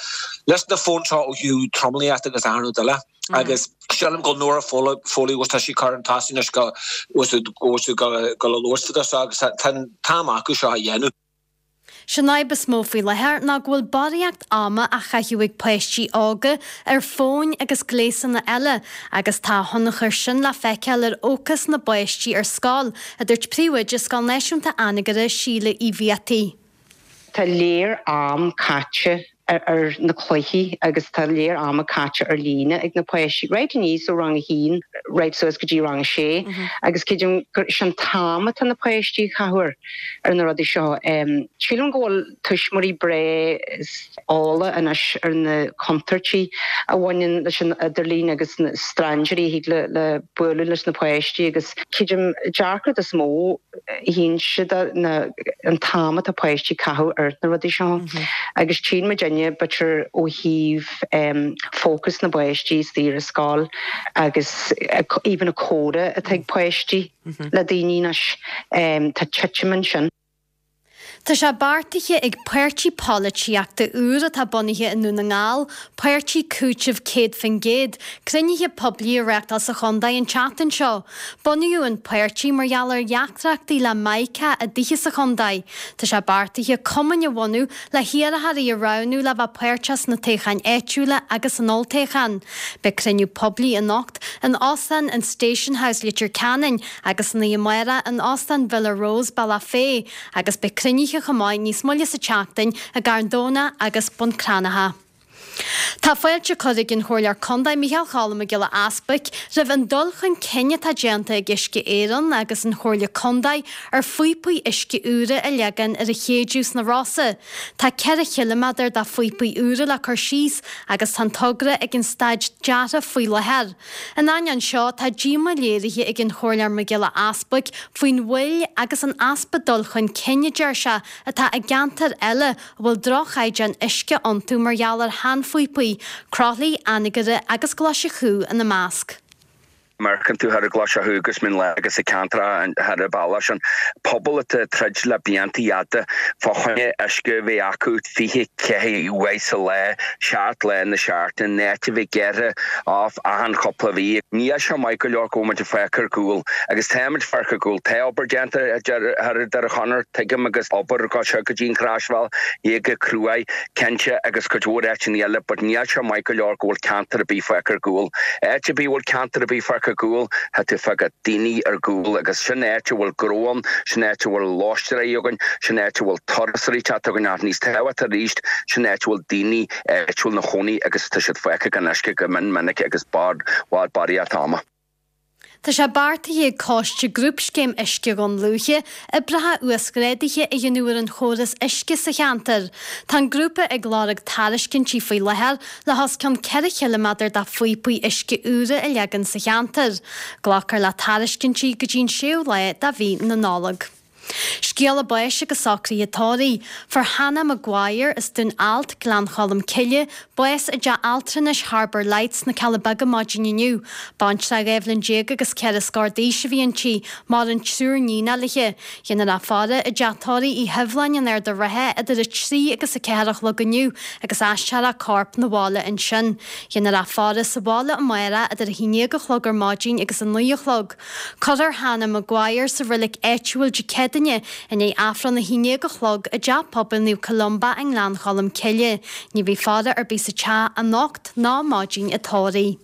leis na fóin seo ó thaobh tromluíocht agus achan rud eile agus sílim go bhfuil Norma Foley agus tá sí curtha chun tosaigh anois go bhfuil siad go le labhairt fá seo agus tá an t-am acu seo a dhéanamh. Sé'n fhadhb is mó faoi láthair ná go bhfuil barraíocht ama á chaitheamh ag páistí óga ar fóin agus gléasanna eile agus tá a thionchar sin le feiceáil ar fhócas na bpáistí ar scoil, a dúirt Príomhoide Scoil Náisiúnta Anagaire, Síle Uí Bhiataigh. Tá léar am caite ar na cluichí agus tá léar ama caite ar líne ag na páistí, right aníos ó rang a haon right suas go dtí rang a sé agus creidim gur sin an t-am atá na páistí a chaitheamh ar na rudaí seo. Sílim go bhfuil tuismitheoirí breá eolach anois ar na contúirtí a bhaineann leis an idirlíon agus na strainséirí a thig le le bualadh leis na páistí agus creidim dearcadh is mó a tchíonn siad ná an t-am atá páistí a chaitheamh ar na rudaí seo agus tchíonn muidinne b'fhéidir ó thaobh fócas na bpáistí istigh ar scoil agus even an comhrá atá ag páistí le daoine anois tá titim ansin. Tá sé beartaithe ag páirtí polaitíochta úr atá bunaithe i nDún na nGall, Páirtí Cúitimh Céad Faoin gCéad, cruinnithe poiblí a reáchtáil sa chontae an tseachtain seo. Bunaíodh an páirtí mar gheall ar dheacrachtaí le Mica i dtithe sa chontae. Tá sé beartaithe cumainn a bhunú le hiarrthóirí a roghnú le bheith páirteach sna toghcháin áitiúla agus san olltoghchán. Beidh cruinniú poiblí anocht in Óstán an Station House, Leitir Ceanainn agus san oíche amárach in Óstán Villa Rose, Bealach Féich agus beidh cruinnithe chomh maith níos moille sa tseachtain i gCarn Domhnach agus Bun Cranncha. Tá fáilte curtha ag an Chomhairleoir Contae Micheál Choilm Mac Giolla Easbuic roimh an dul chun cinn atá déanta ag Uisce Éireann agus an Chomhairle Contae ar phíopaí uisce úra a leagan ar an Chéideadh sna Rosa. Tá ceithre chiliméadar de phíopaí úra le cur síos agus tá an togra ag an staid deartha faoi láthair. In ainneoin seo, tá díomá léirithe ag an Chomhairleoir Mac Giolla Easbuic faoin mhoill agus an easpa dul chun cinn, a deir sé, atá i gceantair eile a bhfuil droch-chaighdeán uisce iontu mar gheall ar sheanphíopaí, Croithlí, Anagaire agus Glaise Chú ina measc. Amharcann tú thar an Ghlaise Chú agus Mín Lárach agus na ceantracha thar an bealach sin, pobal atá ag troid le blianta fhada fá choinne uisce a bheith acu fiche ceathair uair sa lá, seacht lá na seachtaine, in áit a bheith gearrtha off achan chúpla mhí. Níl sé maith go leor go bhfuil muid ag fágáil ar gcúl agus tá muid ag fágáil ar gcúl. Tá obair déanta thar an Doire Chonair, tuigim, agus obair go seo go dtí an Chroisbhealach, go Cruaich, cinnte, agus cuid mhór áiteanna eile, but níl sé maith go leor go bhfuil ceantar ar bith fágtha ar gcúl. Áit ar bith a bhfuil ceantar ar bith fágtha ar gcúl, tá tú ag fágáil daoine ar gcúl agus sin áit a bhfuil gnó ann, sin áit a bhfuil lóistéirí againn, sin áit a bhfuil turasóirí ag teacht chugainn ach níos tábhachtaí arís, sin áit a bhfuil daoine áitiúil ina chónaí agus tá siad fágtha gan uisce go mion minic agus bhfad barraíocht ama. Tá sé beartaithe ag Coiste Grúpscéim Uisce Dhún Lúiche oibreacha uasghrádaithe a dhéanamh ar an chóras uisce sa cheantar. Tá an grúpa ag lorg tairiscintí faoi láthair le hos cionn ceithre chiliméadar de phíopaí uisce úra a leagan sa cheantar. Glacfar le tairiscintí go dtí an séú lá de mhí na Nollag. Scéala báis agus socruithe tórraimh. Fuair Hannah Maguire as Dún Ailt, Gleann Cholm Cille, bás i dteach altranais Harbour Lights sna Cealla Beaga maidin inniu. Baintreach dhá bhliain déag agus ceithre scór d'aois a bhí inti, maireann triúr níonacha léi. Déanfar a faire i dteach tórraimh Uí Hibhleáin in Ard an Rátha idir a trí agus a ceathair a chlog inniu agus aistreofar a corp 'na bhaile ansin. Déanfar a faire sa bhaile amárach idir a haon déag a chlog ar maidin agus a naoi a chlog. Cuirfear Hannah Maguire sa reilig áitiúil Dé Céadaoine i ndiaidh Aifreann a haon déag a chlog i dTeach Pobail Naomh Columba i nGleann Cholm Cille. Ní bheidh faire ar bith sa teach anocht ná maidin an tórraimh.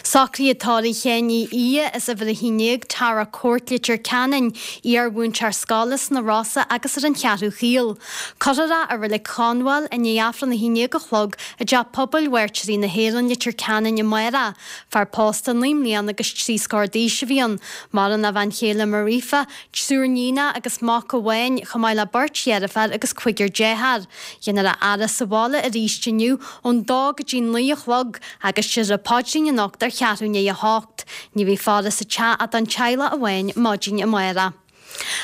Socruithe tórraimh Sheáin Uí Aodha as uimhir a haon déag, Tara Court, Leitir Ceanainn, iar-mhúinteoir scoile sna Rosa agus ar an Cheathrú Chaol. Cuirfear é i Reilig Chonbháil i ndiaidh Aifreann a haon déag a chlog i dTeach Pobail Mhairtírí na hÉireann, Leitir Ceanainn amárach. Fear pósta naoi mbliana agus trí scór d'aois a bhí ann. Maireann a bhean chéile Marifa, triúr níonacha agus mac amháin, chomh maith le beirt dheirféar agus cúigear dearthár. Déanfar a fhaire sa bhaile arís inniu ón dó go dtí naoi a chlog agus déarfar an paidrín anocht ar cheathrú i ndiaidh a hocht. Ní bheidh faire sa teach ach don teaghlach amháin maidin amárach.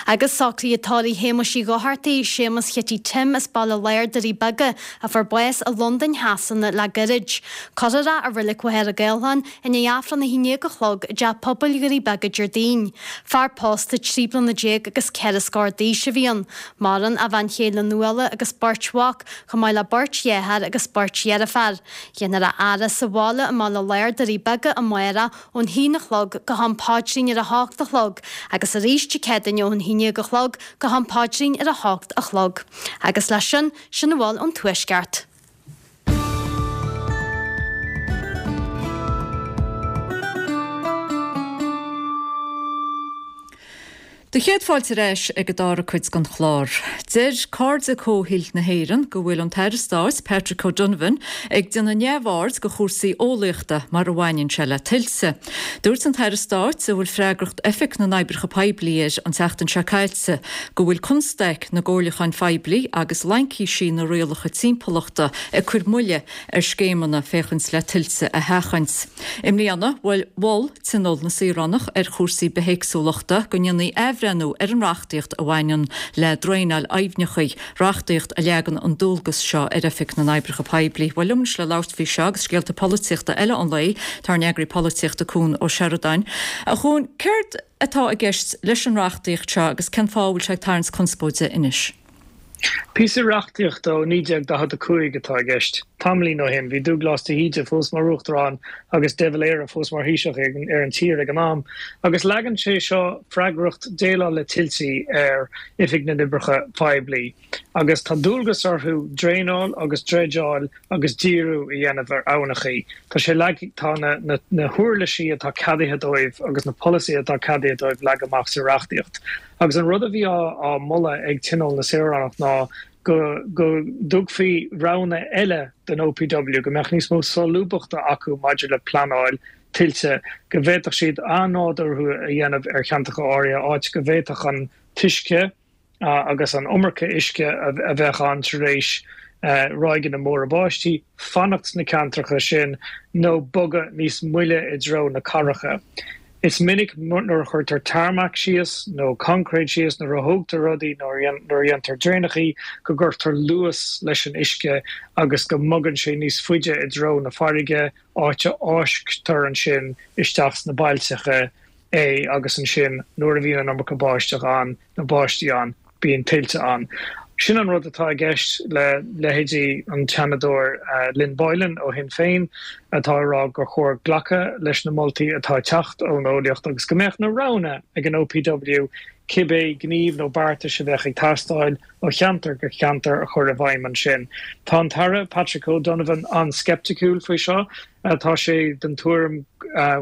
Agus socruithe tórraimh Shéamuis Uí Dhochartaigh, Séamus Chití Tim as Baile Láir, Doirí Beaga, a fuair bás i Londain Shasana le gairid. Cuirfear é i Reilig Mhachaire Gathlán i ndiaidh Aifreann a haon déag a chlog i dTeach Pobail Dhoirí Beaga Déardaoin. Fear pósta trí bliana déag agus ceithre scór d'aois a bhí ann. Maireann a bhean chéile Nuala agus beirt mhac, chomh maith le beirt dhearthár agus beirt dheirféar. Déanfar a fhaire sa bhaile i mBaile Láir, Doirí Beaga amárach ón haon a chlog go ham paidrín ar a hocht a chlog agus arís Dé Céadaoin ón haon déag a chlog go ham paidrín ar a hocht a chlog. Agus leis sin, sin a bhfuil ón Tuaisceart. Do chéad fáilte ar ais ag an dara cuid den chlár. Deir Cairde Comhshaoil na hÉireann go bhfuil an tAire Stáit, Patrick O'Donovan, ag déanamh neamhaird de chúrsaí eolaíochta mar a bhaineann sé le tuilte. Dúirt an tAire Stáit, a bhfuil freagracht Oifig na nOibreacha Poiblí air an tseachtain seo caite, go bhfuil constaic na gcomhairliúchán phoiblí agus laincisí na rialacha timpeallachta ag cur moille ar scéimeanna féachaint le tuilte a sheachaint. I mbliana, mhol Tionól na Saoránach ar chúrsaí bithéagsúlachta go ndéanfaí athbhreithniú ar an reachtaíocht a bhaineann le draenáil aibhneacha, reachtaíocht a leagann an dualgas seo ar Oifig na nOibreacha Poiblí. Bhuel, liom anois le labhairt faoi seo agus scéalta polaitíochta eile an lae, tá ár n-eagraí polaitíochta Cuan Ó Seireadáin. A Chuain, céard atá i gceist leis an reachtaíocht seo agus cén fáth a bhfuil sé ag tarraingt conspóide anois? Píosa reachtaíochta ó naoi déag daichead a cúig atá i gceist. Tamaillín ó shin, bhí Dúglás de hÍde fós mar Uachtarán agus de Valera fós mar Thaoiseach ar an tír ag an am, agus leagann sé seo freagracht déileáil le tuiltí ar Oifig na nOibreacha Poiblí. Agus tá dualgas orthu draenáil agus dreideáil agus díriú a dhéanamh ar aibhneachaí. Tá sé leagtha, tá na na huirlisí atá ceadaithe dóibh agus na polasaithe atá ceadaithe dóibh leagtha amach sa reachtaíocht. Agus an rud a bhí á moladh ag Tionól na Saoránach ná go go dtugfaí roghanna eile don O P W, go mbeadh níos mó solúbthachta acu maidir le pleanáil tuilte, go bhféadfadh siad athnádúrú a dhéanamh ar cheantracha áirithe, áit go bhféadfadh an t-uisce agus an iomarca uisce a bheadh ann tar éis ráigeanna móra báistí fanacht sna ceantracha sin nó bogadh níos moille i dtreo na cathracha. Is minic nuair a chuirtear tarmac síos nó concrete síos, nuair a thógtar rudaí, nuair a dhéantar draenachaí, go gcuirtear luas leis an uisce agus go mbogann sé níos faide i dtreo na farraige, áit a fháisctear ansin isteach sna bailteacha é agus ansin nuair a bhíonn an iomarca báisteach ann, nó báistí ann, bíonn tuilte ann. Sin an rud atá i gceist le leithéidí an tSeanadóir Lynn Boylan ó Shinn Féin atá ag rá gur chóir glacadh leis na moltaí atá ag teacht ón eolaíocht agus go mbeadh na roghanna ag an O P W cibé gníomh nó beartais a bheadh ag teastáil ó cheantar go ceantar a chur i bhfeidhm ansin. Tá an tAire Patrick O'Donovan an-sceipticiúil faoi seo. Tá sé den tuairim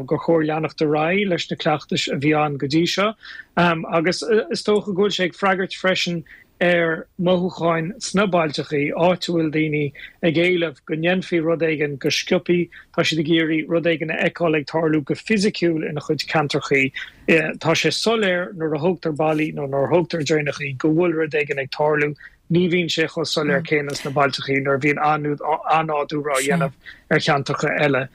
gur chóir leanacht ar aghaidh leis na cleachtais a bhí ann go dtí seo agus is dócha go bhfuil sé ag freagairt freisin ar mhothúcháin sna bailteachaí, áit a bhfuil daoine ag éileamh go ndéanfaí rud éigin go sciobthaí, tá siad ag iarraidh rud éigin a fheiceáil ag tarlú go fisiciúil ina chuid ceantrachaí. Tá sé soiléir nuair a thógtar ballaí nó nuair a thógtar draenachaí go bhfuil rud éigin ag tarlú, ní bhíonn sé chomh soiléir céanna sna bailteachaí nuair a bhíonn athnádúrú á dhéanamh ar cheantracha eile.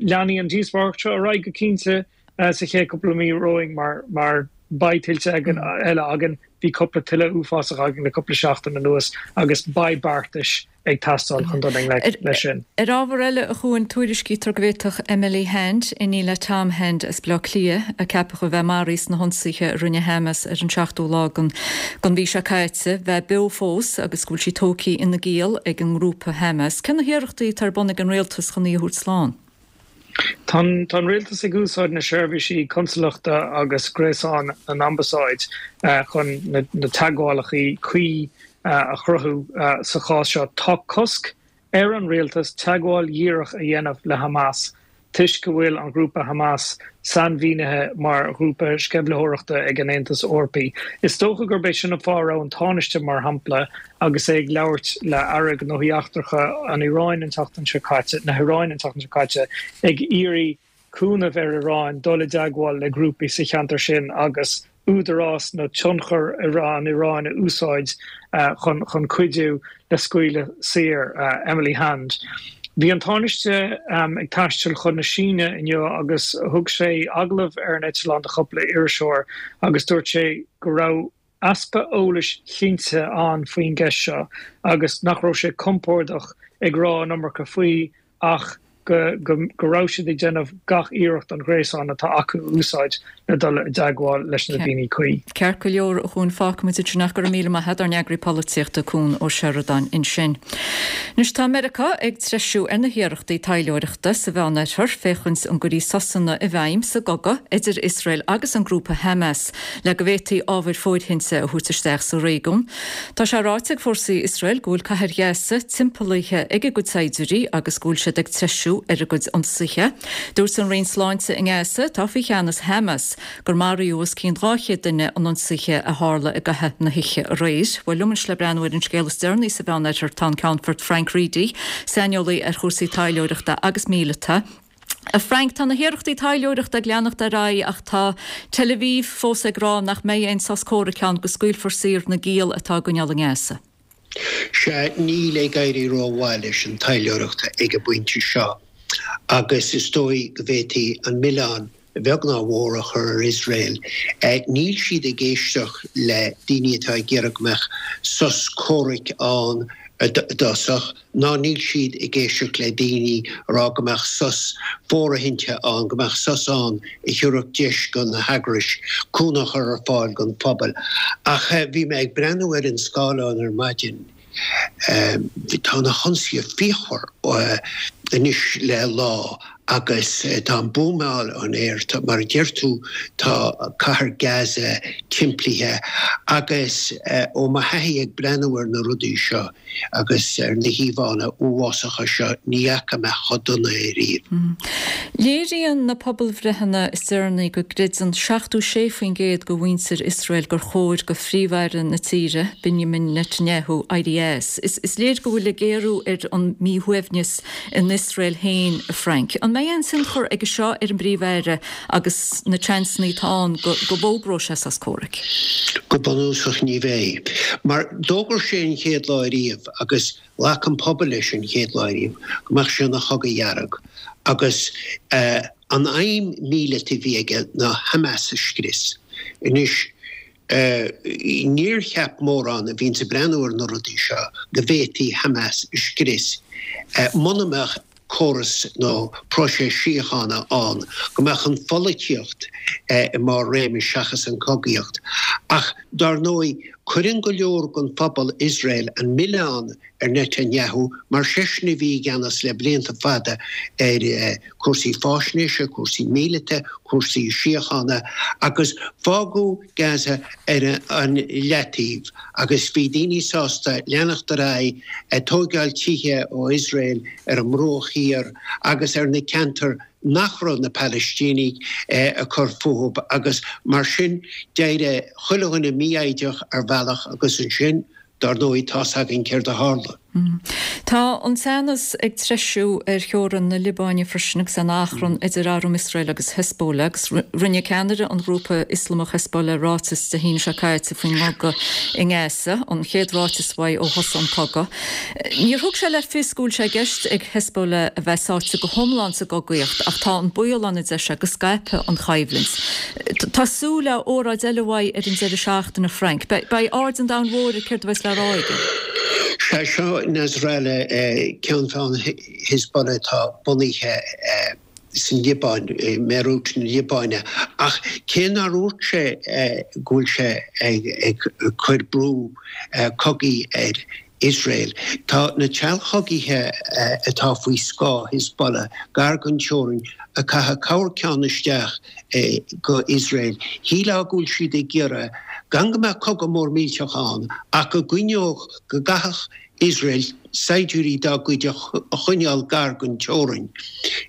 Leanfaidh an díospóireacht seo ar aghaidh go cinnte sa chéad cúpla mí romhainn mar mar Beidh tuilte eile againn, bhí cúpla tuile uafásach againn le cúpla seachtain anuas agus beidh beartais ag teastáil chun dul i ngleic leis sin. Ar ábhar eile, a Chuain, tuairiscítear go bhféadfadh Emily Hand, iníon le Tom Hand as Baile Átha Cliath, a ceapadh a bheith maraithe sna hionsaithe a rinne Hamas ar an seachtú lá den mhí seo caite, bheith beo fós agus go bhfuil sí tógtha ina giall ag an ngrúpa Hamas. Cé na hiarrachtaí atá ar bun ag an rialtas chun í a thabhairt slán? Tá an rialtas ag úsáid na seirbhísí consalachta agus gréasán na n-ambasáid chun na teagmhálacha cuí a chruthú sa chás seo. Tá cosc ar an rialtas teagmháil dhíreach a dhéanamh le Hamas toisc go bhfuil an grúpa Hamas sainmhínithe mar ghrúpa sceimhlitheoireachta ag an Aontas Eorpaí. Is dócha gurb é sin an fáth a raibh an Tánaiste, mar shampla, agus é ag labhairt le Aire Gnóthaí Eachtracha an Iaráin an tseachtain seo caite, na hIaráine an tseachtain seo caite, ag iarraidh cúnamh ar Iran dul i dteagmháil le grúpaí sa cheantar sin agus údarás nó tionchar an Iaráin a úsáid chun cuidiú le scaoileadh saor Emily Hand. Bhí an Tánaiste ag taisteal chun na Síne inniu agus thug sé agallamh ar an eitleán do chúpla iriseoir agus dúirt sé go raibh easpa eolais chinnte ann faoin gceist seo agus nach raibh sé compordach ag rá an iomarca faoi ach go go raibh siad ag déanamh gach iarracht an gréasán atá acu a úsáid le dul i dteagmháil leis na daoine cuí. Ceart go leor, a Chuain, fágfaimid ansin é. Go raibh míle maith agat, ár n-eagraí polaitíochta Cuan Ó Seireadáin ansin. Anois tá Meiriceá ag treisiú ar na hiarrachtaí taidhleoireachta sa Mheánoirthear féachaint an gcuirfí sosanna i bhfeidhm sa gcogadh idir Iosrael agus an grúpa Hamas le go bhféadfaí ábhair fóirithinte a thabhairt isteach sa réigiún. Tá sé ráite ag fórsaí Iosrael go bhfuil cathair Ghaza timpeallaithe ag a gcuid saighdiúirí agus go bhfuil siad ag treisiú ar a gcuid ionsaithe. Dúirt an Roinn Sláinte i nGaza, atá faoi cheannas Hamas, gur maraíodh os cionn dhá chéad duine in ionsaithe a tharla i gcaitheamh na hoíche aréir. Bhuel, liom anois le breathnú ar an scéal is deireanaí sa Mheánoirthear tá an Ceannfort Frank Reidy, saineolaí ar chúrsaí taidhleoireachta agus míleata. A Frank, tá na hiarrachtaí taidhleoireachta ag leanacht ar aghaidh ach tá Tel Aviv fós ag rá nach mbeidh aon sos comhraic ann go scaoilfear saor na giall atá á gcoinneáil i nGaza. Sea, níl ag éirí rómhaith leis an taidhleoireacht ag an bpointe seo agus is dóigh go bhféadfaí an milleán, a bheag ná a mhór, a chur ar Iosrael. Níl siad ag éisteacht le daoine atá ag iarraidh go mbeadh sos comhraic ann i dtosach, ná níl siad ag éisteacht le daoine a rá go mbeadh sos fóirithinte ann, go mbeadh sos ann a thiúrfadh deis do na heagrais cúnamh a chur ar fáil don phobal. Ach bhí mé ag breathnú ar an scáileán ar maidin, tá na hionsaithe fíochmhar anois le lá agus tá an buamáil in aer, mar a deir tú, tá cathair Gaza timplithe agus ó mo thaithí ag breathnú ar na rudaí seo agus ar na híomhánna uafásacha seo, ní fhaca mé chomh dona é riamh. Léiríonn na pobalbhreitheanna is deireanaí go gcreideann seachtó sé faoin gcéad de mhuintir Iosrael gur chóir do Phríomh-Aire na tíre, Benjamin Netanyahu, éirí as. Is léir go bhfuil ag géarú ar an míshuaimhneas in Iosrael féin, a Frank. An mbeidh aon tionchar aige seo ar an bPríomh-Aire agus na seansanna atá ann go bhfógróidh sé sos comhraic? Go bunúsach ní bheidh. Mar d'fhógair sé an chéad lá ariamh agus ghlac an pobal leis an chéad lá ariamh go mbeadh sé ina chogadh dhearg agus an aidhm míleata a bhí aige ná Hamas a scrios. Anois Níor cheap mórán a bhíonns ag breathnú ar na rudaí seo go bhféadfaí Hamas a scrios muna mbeadh córas nó próiseas síochána ann, go mbeadh an pholaitíocht i mbarr réimis seachas an chogaíocht. Ach dar ndóigh, cuireann go leor den phobal Iosrael an milleán ar Netanyahu mar seisean a bhí i gceannas le blianta fada ar cúrsaí fáisnéise, cúrsaí míleata, cúrsaí síochána agus fágadh Gaza ar an leataobh agus bhí daoine sásta leanacht ar aghaidh ag tóigeáil tithe ó Iosrael ar an mBruach Thiar agus ar na ceantair nach raibh na Palaistínigh ag cur fúthu agus mar sin d'éirigh chuile dhuine mífhoighdeach ar bhealach agus ansin Dar ndóigh, tá's againn céard a tharla. Tá an teannas ag treisiú ar theorainn na Liobáine freisin agus an achrann idir arm Iosrael agus Hezbollah agus rinne ceannaire an ghrúpa Ioslamach Hezbollah ráiteas Dé hAoine seo caite faoin gcogadh i nGaza, an chéad ráiteas uaidh ó thosaigh an cogadh. Níor thug sé le fios go bhfuil sé i gceist ag Hezbollah a bheith sáite go hiomlán sa gcogaíocht ach tá an baol ann a deir sé go scaipfidh an choimhlint. Tá súil le óráid eile uaidh ar an deireadh seachtaine Frank. Beidh aird an domhain mhóir ar céard a bheas le rá aige. Sea, seo Nasrallah, ceann feadhna Hezbollah atá bunaithe san Liobáin, i mBeirút na Liobáine. Ach cé nár dhúirt sé go bhfuil sé ag cur brú cogaidh ar Iosrael, tá na treallchogaithe atá faoi scáth Hezbollah gar don teorainn ag caitheamh corrcheann isteach go Iosrael. Shílfeá go bhfuil siad ag iarraidh gan go mbeadh cogadh mór millteach ann ach go gcoinneodh, go gcaithfeadh Iosrael saighdiúirí dá gcuid a choinneáil gar don teorainn.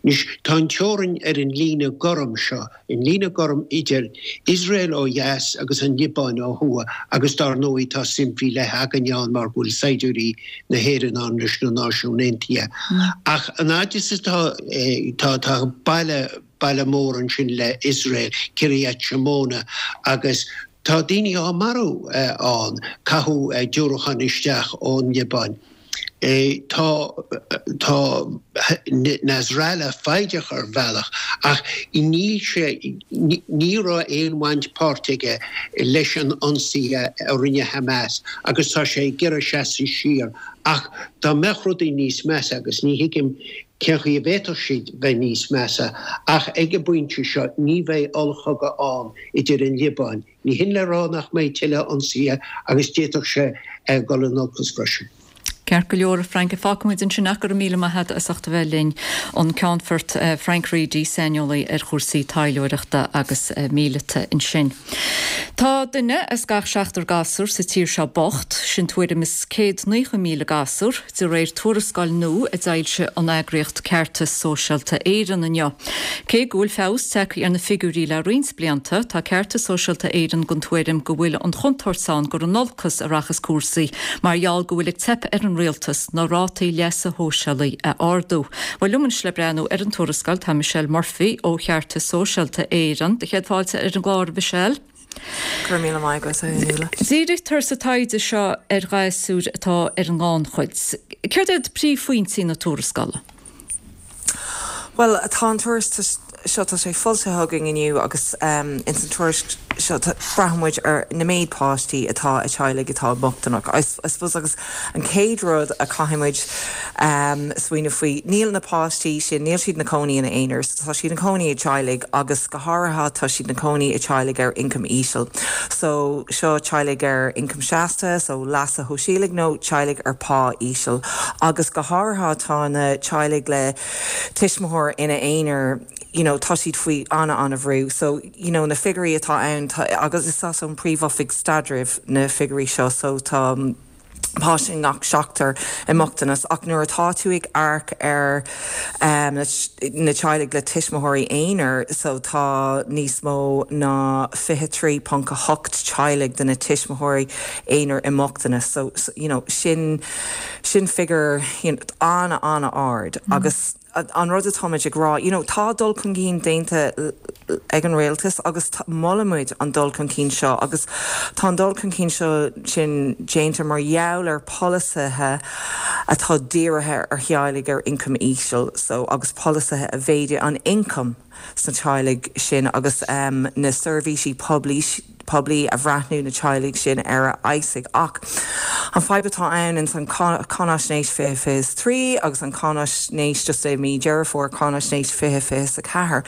Anois, tá an teorainn ar an líne gorm seo, an líne gorm idir Iosrael ó dheas agus an Liobáin ó thuaidh agus dár ndóigh tá suim faoi leith againne ann mar go bhfuil saighdiúirí na hÉireann ann leis na Náisiúin Aontaithe. Ach an fhaid is atá, tá, tá baile, baile mór ansin le Iosrael, Kiryat Shmona, agus tá daoine á marú ann, caitheadh diúracáin isteach ón Liobáin. Tá tá Nasrallah foighdeach ar bhealach ach níl sé, ní raibh aon bhaint páirte aige leis an ionsaí a rinne Hamas agus tá sé ag iarraidh seasamh siar ach dá mbeadh rudaí níos measa, agus ní thuigim cén chaoi a bhféadfadh siad bheith níos measa, ach ag an bpointe seo ní bheidh ollchogadh ann idir an Liobáin. Ní hin le rá nach mbeidh tuilleadh ionsaithe agus d'fhéadfadh sé dul in olcas freisin. Ceart go leor, a Frank, fágfaimid ansin ach go raibh míle maith agat as ucht a bheith linn. An Ceannfort Frank Reidy, saineolaí ar chúrsaí taidhleoireachta agus míleata ansin. Tá duine as gach seachtar gasúr sa tír seo bocht, sin tuairim is céad naocha míle gasúr, de réir tuarascáil nua a d'fhoilsigh an eagraíocht Ceartas Sóisialta Éireann inniu. Cé go bhfuil feabhas tagtha ar na figiúirí le roinnt blianta, tá Ceartas Sóisialta Éireann den tuairim go bhfuil an chontúirt ann gur in olcas a rachas cúrsaí mar gheall go bhfuil ag teip ar an rialtas na rátaí leasa shóisialaigh a ardú. Bhuel, liom anois le breathnú ar an tuarascáil tá Michelle Murphy ó Cheartas Sóisialta Éireann. Do chéad fáilte ar an gclár, a Mhichelle. Go raibh míle maith agat, a Fhionnuala. Dírítear sa taighde seo ar ghasúir atá ar an ngannchuid. Céard iad príomhphointí na tuarascála? Bhuel, tá an tuairisc seo, tá sé foilsithe againn inniu agus ins an tuairisc seo braitheann muid ar na méid páistí atá i teaghlaigh atá bochtaineach. I suppose agus an chéad rud a caithfidh muid smaoineamh faoi, níl na páistí sin, níl siad ina cónaí ina aonar, so tá siad ina cónaí i teaghlaigh agus go háirithe tá siad ina cónaí i teaghlaigh ar ioncam íseal. So seo teaghlaigh ar ioncam seasta, so leasa shóisialaigh nó teaghlaigh ar pá íseal agus go háirithe tá na teaghlaigh le tuismitheoir ina aonar, you know, tá siad faoi an-an-bhrú. So, you know, na figiúirí atá ann, tá, agus is as ón Príomh-Oifig Staidrimh na figiúirí seo, so tá páiste i ngach seachtar i mbochtanas. Ach nuair atá tú ag amharc ar um, na teaghlaigh le tuismitheoirí aonair, so tá níos mó ná fiche trí ponc a hocht teaghlaigh de na tuismitheoirí aonair i mbochtanas. So, so you know, sin, sin figiúr, you know, an-an-ard agus an rud atáimid ag rá, you know, tá dul chun cinn déanta ag an rialtas agus molaimid an dul chun cinn seo agus tá an dul chun cinn seo sin déanta mar gheall ar polasaithe atá dírithe ar theaghlaigh ar ioncam íseal so agus polasaithe a mhéadaigh an ioncam sna teaghlaigh sin agus um, na seirbhísí poiblí poiblí a bhreathnú na teaghlaigh sin ar a fheabhsaigh. Ach an fadhb atá ann ins an Cáinaisnéis fiche fiche is trí agus an Cáinaisnéis just i mí Deireadh Fómhair Cáinaisnéis fiche fiche is a ceathair,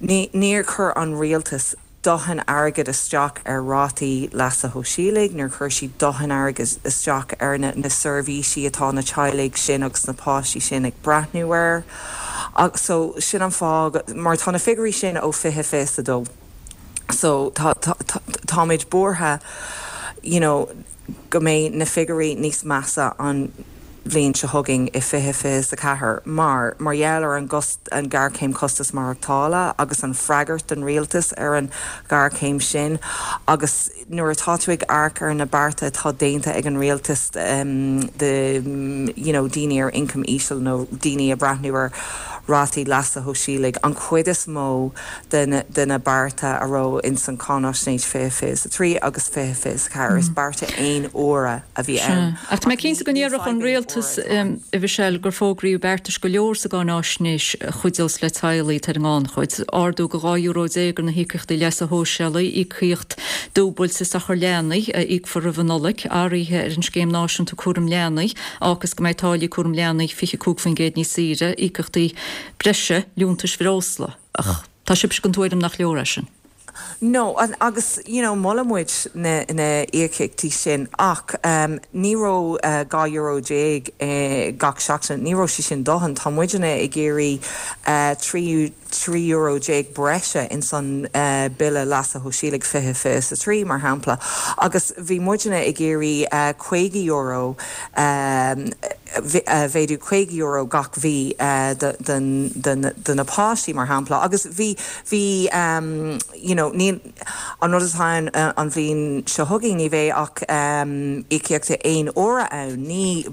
níor chuir an rialtas dóthain airgid isteach ar rátaí leasa shóisialaigh, níor chuir siad dóthain airgid isteach ar na na seirbhísí atá na teaghlaigh sin agus na páistí sin ag breathnú air. So sin an fáth, mar tá na figiúirí sin ó fiche fiche is a dó. So tá tá táimid buartha you know go mbeidh na figiúirí níos measa an bhliain seo chugainn i fiche fiche is a ceathair mar mar gheall ar an gcost an ghéarchéim costas maireachtála agus an freagairt den rialtas ar an ghéarchéim sin agus nuair atá tú ag amharc ar na bearta atá déanta ag an rialtas de you know daoine ar ioncam íseal nó daoine ag breathnú ar rátaí leasa shóisialaigh an chuid is mó de na de na bearta a raibh ins an Cáinaisnéis fiche fiche is a trí agus fiche fiche is a ceathair is bearta aon uaire a bhí ann. Ach tá mé cinnte go ndéarfadh an rialtas, a Mhichelle, gur fógraíodh beartais go leor sa gCáináisnéis a chuideos le teaghlaigh atá ar an ngannchuid, ardú go dhá euro déag ar na híocaíochtaí leasa shóisialaigh, íocaíocht dúbailte sochar leanaí a íocfar roimh an Nollaig, athruithe ar an Scéim Náisiúnta Cúraim Leanaí, a fhágfas go mbeidh táillí cúraim leanaí fiche cúig faoin gcéad níos saoire, íocaíochtaí breise liúntais bhreosla. Ach tá sibhse den tuairim nach leor é sin. No, agus you know molann muid na na íocaíochtaí sin ach um, ní raibh uh, dhá euro déag uh, gach seachtain, ní raibh sé sin dóthain, tá muidne ag iarraidh uh, trí trí euro déag breise in san uh, bille leasa shóisialaigh fiche fiche is a trí mar shampla agus bhí muidne ag iarraidh uh, caoga euro um, mhéadú caoga euro gach mhí uh, de na páistí mar shampla agus bhí bhí um, you know, ní an rud atá ann uh, an bhliain seo chugainn ní bheidh ach um, íocaíochtaí aon uaire ann ní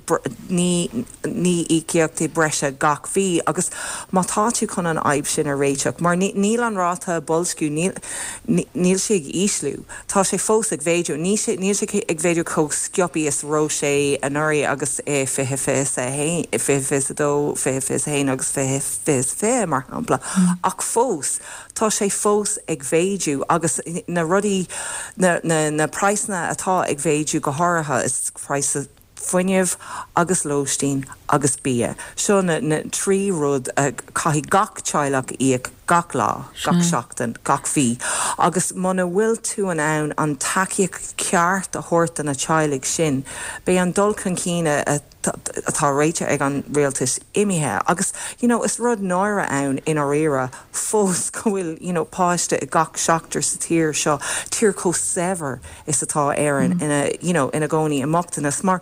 ní ní íocaíochtaí breise gach mhí agus má tá tú chun an fhadhb sin a réiteach mar níl an ráta boilsciú níl sé ag ísliú tá sé fós ag mhéadú ní níl sé ag mhéadú chomh sciobtha is raibh sé anuraidh agus é fiche fiche a haon fiche fiche a dó fiche fiche a haon agus fiche fiche fiche mar shampla ach fós tá sé fós ag mhéadú agus na rudaí na na na praghsanna atá ag mhéadú go háirithe is praghas fuinnimh agus lóistín agus bia. Seo na, na trí rud uh, caithfidh gach teaghlach íoc gach lá, gach seachtain, gach mhí. Agus muna bhfuil tú in ann an tacaíocht ceart a thabhairt do na teaghlaigh sin, beidh an dul chun cinn atá ráite ag an rialtas imithe. Agus you know, is rud náire ann i ndáiríre fós go bhfuil you know, páiste i gach seachtar sa tír seo tír chomh saibhir is atá Éirinn mm. ina, you know, ina gcónaí i mbochtanas mar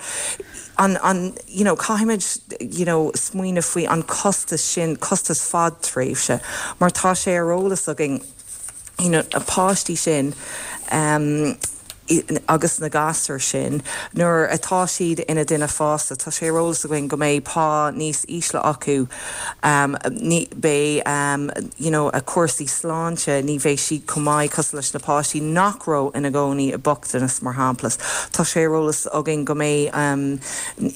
an, an you know, caithfimid you know, smaoineamh faoi an costas sin costas fadtréimhse mar tá sé ar eolas againn you know, na páistí sin um, agus na gasúir sin nuair atá siad ina ndaoine fásta tá sé ar eolas againn go mbeidh pá níos ísle acu um, ní beidh um, you know, a cúrsaí sláinte ní bheidh siad chomh maith cosúil leis na páistí nach raibh ina gcónaí i mbochtanas mar shampla. Tá sé ar eolas againn go mbeidh um,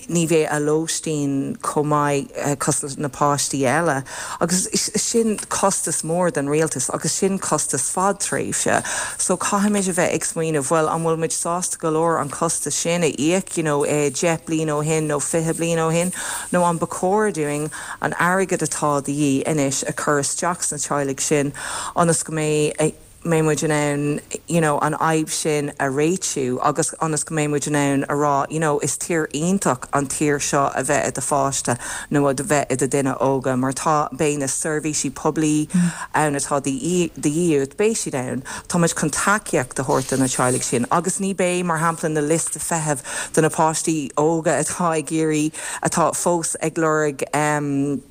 ní bheidh a lóistín chomh maith uh, cosúil leis na páistí eile. agus sin costas mór den rialtas agus sin costas fadtréimhse. So caithfimid a bheith ag smaoineamh bhfuil an bhfuil muid sásta go leor an costas sin a íoc you know, eh, deich bliain ó shin nó fiche bliain ó shin nó an ba chóir dúinn an airgead atá de dhíth anois a chur isteach sna teaghlaigh sin ionas go mbeidh eh, mbeidh muid in ann you know, an fhadhb sin a réitiú agus ionas go mbeidh muid in ann a rá you know, is tír iontach an tír seo a bheith i do pháiste nó a bheith i do dhuine óga mar tá beidh na seirbhísí poiblí mm. ann atá de dhíth beidh siad ann Táimid chun tacaíocht a thabhairt do na teaghlaigh sin agus ní bheidh mar shampla na liosta feithimh do na páistí óga atá ag iarraidh atá fós ag lorg um,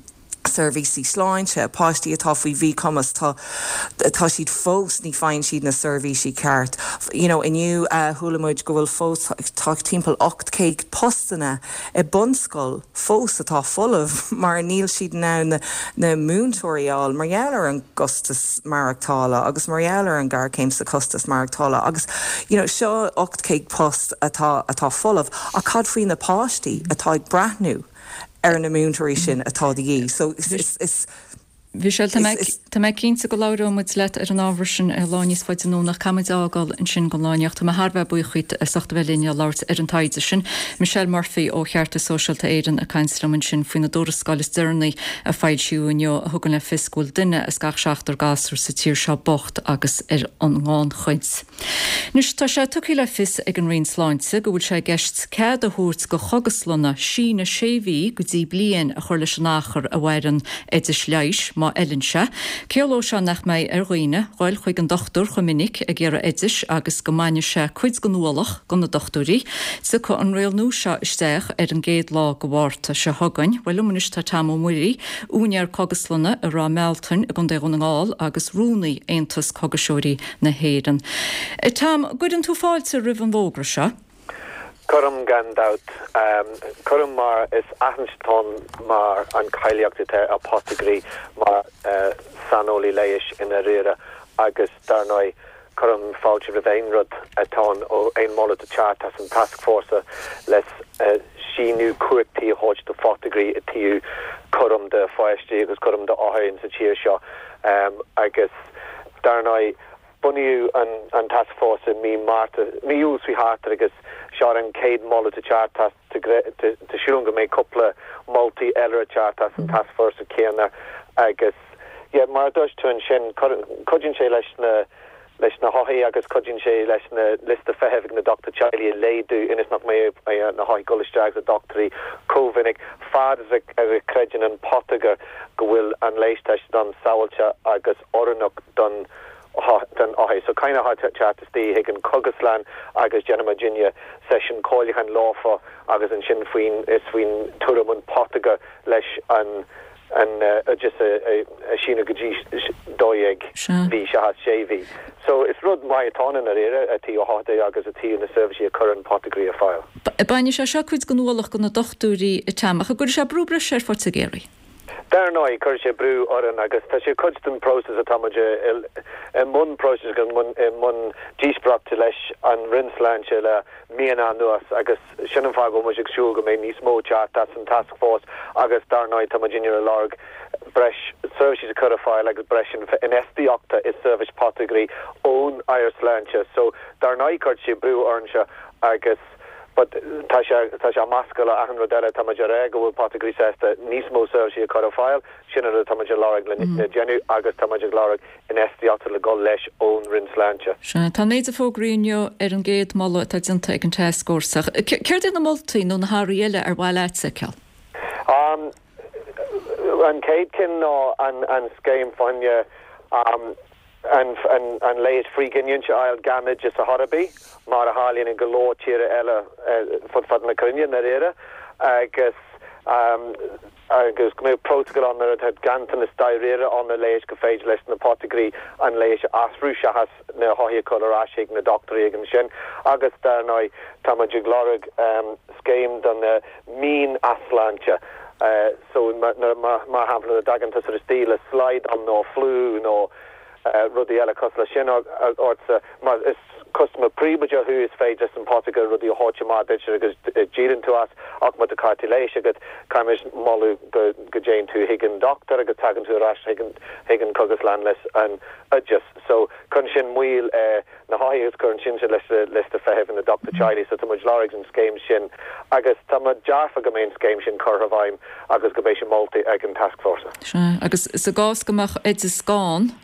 seirbhísí sláinte, páistí atá faoi mhíchumas tá tá siad fós ní fhaigheann siad na seirbhísí ceart. You know, inniu uh, chuala muid go bhfuil fós tá timpeall ocht céad postanna i bunscoil fós atá folamh mar níl siad in ann na, na múinteoirí a fháil mar gheall ar an gcostas maireachtála agus mar gheall ar an ngéarchéim sa costas maireachtála agus you know, seo ocht céad post atá atá folamh ach cad faoi na páistí atá ag breathnú ar na múinteoirí sin atá de dhíth. So is, is, is, Michelle tá mé cinnte go labhróidh muid leat ar an ábhar sin ar lá níos faide anonn ach caithfimid a fhágáil ansin don lá inniu. Tá mé thar a bheith buíoch díot as ucht a bheith linn ag labhairt ar an taighde sin. Michelle Murphy ó Cheartas Sóisialta Éireann ag caint liom ansin faoina dtuarascáil is deireanaí a foilsíodh inniu a thugann le fios go bhfuil duine as gach seachtar gasúr sa tír seo bocht agus ar an ngannchuid. Anois tá sé tugtha le fios ag an Roinn Sláinte go bhfuil sé i gceist cead a thabhairt go chógaslanna síneadh sé mhí go dtí bliain a chur leis an achar a mhaireann oideas leighis má fheileann sé. Ciallóidh sé nach mbeidh ar dhaoine dhul chuig an dochtúir chomh minic ag iarraidh oidis agus go mbainfidh sé cuid den ualach go na dochtúirí. Tiocfaidh an riail nua seo isteach ar an gcéad lá go Mhárta seo chugainn. Bhuel liom anois tá Tom Ó Muirí, úinéir cógaslainne i Ráth Mealtain i gContae Dhún na nGall agus rúnaí Aontas Cógaiseoirí na hÉireann. Tom, gcuireann tú fáilte roimh an bhfógra seo? Cuirim gan dabht. Cuirim mar is aithint atá ann mar an cáilíocht atá ar potagairí mar saineolaí leighis i ndáiríre agus dar ndóigh cuirim fáilte roimh aon rud atá ann ó aon moladh ag teacht as an tascfhórsa le síneadh cumhachtaí a thabhairt do photagairí i dtaobh cúram do pháistí agus cúram do othair insa tír seo agus dar ndóigh bunaíodh an an tascfhórsa i mí Márta, mí Iúil seo thart agus seo an chéad moladh ag teacht as tá súil agam go mbeidh cúpla moltaí eile ag teacht as an tascfhórsa céanna agus yeah mar a dúirt tú ansin cuidíonn sé leis na leis na hothair agus cuidíonn sé leis na liosta feithimh ag na dochtúirí teaghlaigh a laghdú ionas nach mbeidh na hothair ag dul isteach ag dochtúirí chomh minic fad is a chreideann an potagar go bhfuil an leigheas atá ann sábháilte agus oiriúnach don don othar. So caithfidh na hothair teacht istigh chuig an chógaslann agus déanann muidinne seisiún comhairliúcháin leofa agus ansin faoin is faoin tuairim an potagar leis an an oideas a síneadh go dtí dó dhéag mhí seachas sé mhí. So is rud maith atá ann i ndáiríre i dtaobh othair agus i dtaobh na seirbhísí a chuireann potagairí ar fáil. Bainfidh sé seo cuid den ualach go na dochtúirí a Tom ach an gcuirfidh sé brú breise ar photaigéirí. Dar ndóigh, cuirfidh sé brú orainn agus tá sé cuid den próiseas atá muid i mbun próisis agus i mbun díospóireachta leis an Roinn Sláinte le míonna anuas agus sin an fáth go bhfuil muid ag súil go mbeidh níos mó teacht as an tascfhórsa agus dar ndóigh tá muid ag lorg breis seirbhísí a chur ar fáil agus breis infheistíochta i seirbhís potagairí ón Aire Sláinte. So dar ndóigh cuirfidh sé brú orainne agus But tá sé tá sé measctha le achan rud eile, tá muid ag rá go bhfuil potagairí sásta níos mó seirbhísí a chur ar fáil, sin an rud atá muid ag lorg le déanamh agus tá muid ag lorg infheistíochta le dhul leis ón Roinn Sláinte. Sea, tá an méid a fógraíodh inniu ar an gcéad moladh atá déanta ag an tascfhórsa. Céard iad na moltaí nó na hathruithe eile ar mhaith leat a fheiceáil? An chéad cinn ná an scéim fá choinne an leigheas frithghiniúint a fháil gan oideas ar chor ar bith, mar a tharlaíonn i go leor tíortha eile fud fad na cruinne, i ndáiríre, agus agus go mbeadh prótacal ann nuair atá ganntanas dáiríre ann ar leigheas go féidir leis na potagairí an leigheas a athrú seachas na hothair a chur ar ais chuig na dochtúirí ag ansin. Agus dar ndóigh, tá muid ag lorg scéim do na mín-easláinte so mar shampla nuair a dtagann tusa istigh le slaghdán nó fliú nó rudaí eile cosúil leis sin ortsa. Má is custaiméir príobháideach thú is féidir leis an potagar rudaí a thabhairt amach duit agus díolann tú as ach má tá cárta leighis agat caithfimid moladh go go dtéann tú chuig an dochtúir agus tagann tú ar ais chuig an chuig an cógaslann leis an oideas. So cuireann sin moill ar na hothair agus cuireann sin leis na liosta feithimh na dochtúir teaghlaigh so tá muid ag lorg an scéim sin agus tá muid dearfa go mbeidh an scéim sin curtha i bhfeidhm agus go mbeidh sé molta ag an tascfhórsa. Sea, agus sa gcás go mbeadh oideas gann,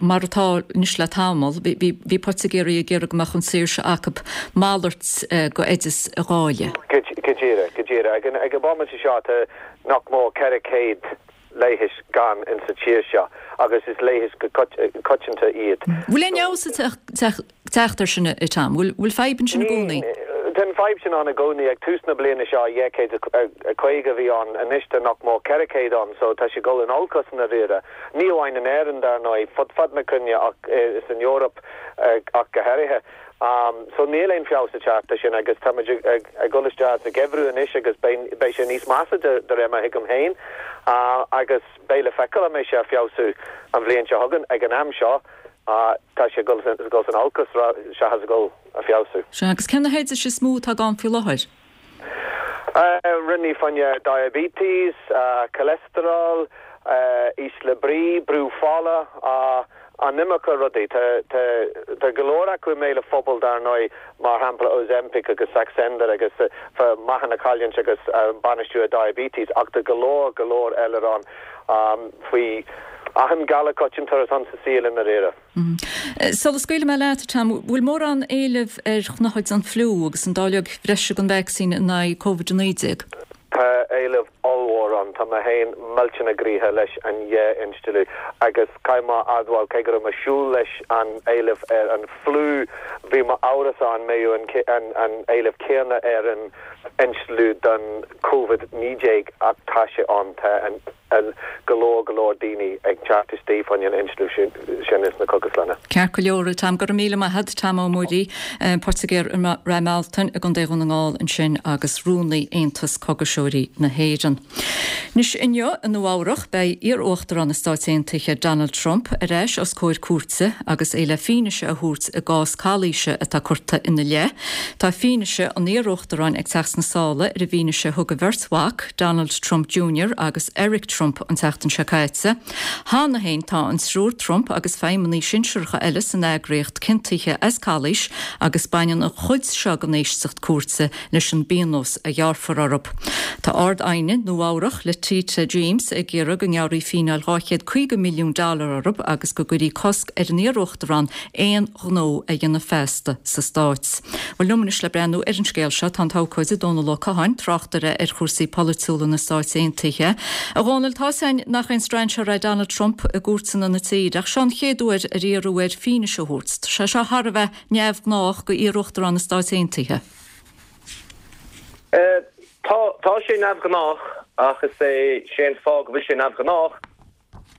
mar atá anois le tamall, bhí poitigéirí ag iarraidh go mbeadh an saoirse acu malairt go oideas a dháileadh. Go díreach, go díreach. Ag an bhomaite seo tá nach mór ceithre chéad leigheas gann in sa tír seo agus is leigheas go coitianta iad. Bhfuil aon fheabhas ag teacht air sin, a Tom? Bhfuil fadhb ansin i gcónaí? Tá an fadhb sin ann i gcónaí. Ag tús na bliana seo dhá chéad a caoga a bhí ann, anois tá nach mór ceithre chéad ann so tá sé ag dul in olcas i ndáiríre. Ní amháin in Éirinn dar ndóigh, fud fad na cruinne ach san Eoraip ach go háirithe. So níl aon feabhas ag teacht air sin agus tá muid ag dul isteach sa gheimhreadh anois agus beidh sé níos measa de réir mar a thuigim féin agus beidh le feiceáil an mbeidh sé ag feabhsú an bhliain seo chugainn. Ag an am seo tá sé ag dul san olcas seachas ag dul ag feabhsú. Sea, agus cé na hoidis is mó atá gann faoi láthair? Rudaí fá choinne diabetes, cholesterol, ísle brí, brú fola, an iomarca rudaí. Tá tá tá go leor acu i mbéal an phobail dar ndóigh, mar shampla Ozempic agus Saxenda agus fá meáchan a chailliúint agus bainistiú diabetes ach tá go leor go leor eile ann faoi achan galar coitianta atá ann sa saol i ndáiríre. Sula scaoilfidh mé leat, Tom, bhfuil mórán éilimh ar chnothaid an fliú agus an dáileog bhreise den vacsaín in aghaidh Covid a naoi déag? Tá éileamh ollmhór ann. Tá mé féin millteanach gnoitheach leis an dhá instealladh agus caithfidh mé a admháil, cé go raibh mé ag súil leis an éileamh ar an fliú, bhí mé amhrasach an mbeadh an an éileamh céanna ar an instealladh don Covid naoi déag ach tá sé ann. Tá an go leor go leor daoine ag teacht istigh fá choinne an instealladh sin ins na cógaslanna. Ceart go leor, Tom. Go raibh míle maith agat, Tom Ó Muirí, poitigéir i Rath Mealtain i gContae Dhún na nGall ansin agus Rúnaí Aontas Cógaiseoirí na hÉireann. Anois inniu i Nua Eabhrach beidh iar-Uachtarán na Stáit Aontaithe Donald Trump ar ais os comhair cúirte agus é le fianaise a thabhairt i gcás calaoise atá curtha ina leith. Tá fianaise an iar-Uachtaráin ag teacht sna sála ar an bhfianaise a thug a bheirt mhac, Donald Trump Junior agus Eric Trump, Trump an tseachtain seo caite. Cheana féin tá an triúr Trump agus feidhmeannaigh shinsearacha eile san eagraíocht ciontaithe as calaois agus baineann an chuid seo den éisteacht cúirte leis an bpionós a ghearrfar orthu. Tá Ard-Aighne Nua Eabhrach, Letitia James, ag iarraidh go ngearrfaí fíneáil dhá chéad caoga milliún dollar orthu agus go gcuirfí cosc ar an iar-uachtarán aon ghnó a dhéanamh feasta sa stát. Bhuel liom anois le breathnú ar an scéal seo tá an t-abhcóide Dónal Ó Catháin, tráchtaire ar chúrsaí polaitiúla na Stáit Aontaithe. A Dhónaill, tá's againn nach aon strainséir é Donald Trump i gcúirteanna na tíre, ach seo an chéad uair ar iarradh air fianaise a thabhairt. Tá sé seo thar a bheith neamhghnách do iar-uachtarán na Stáit Aontaithe. Tá, tá sé neamhghnách ach is é sé an fáth go bhfuil sé neamhghnách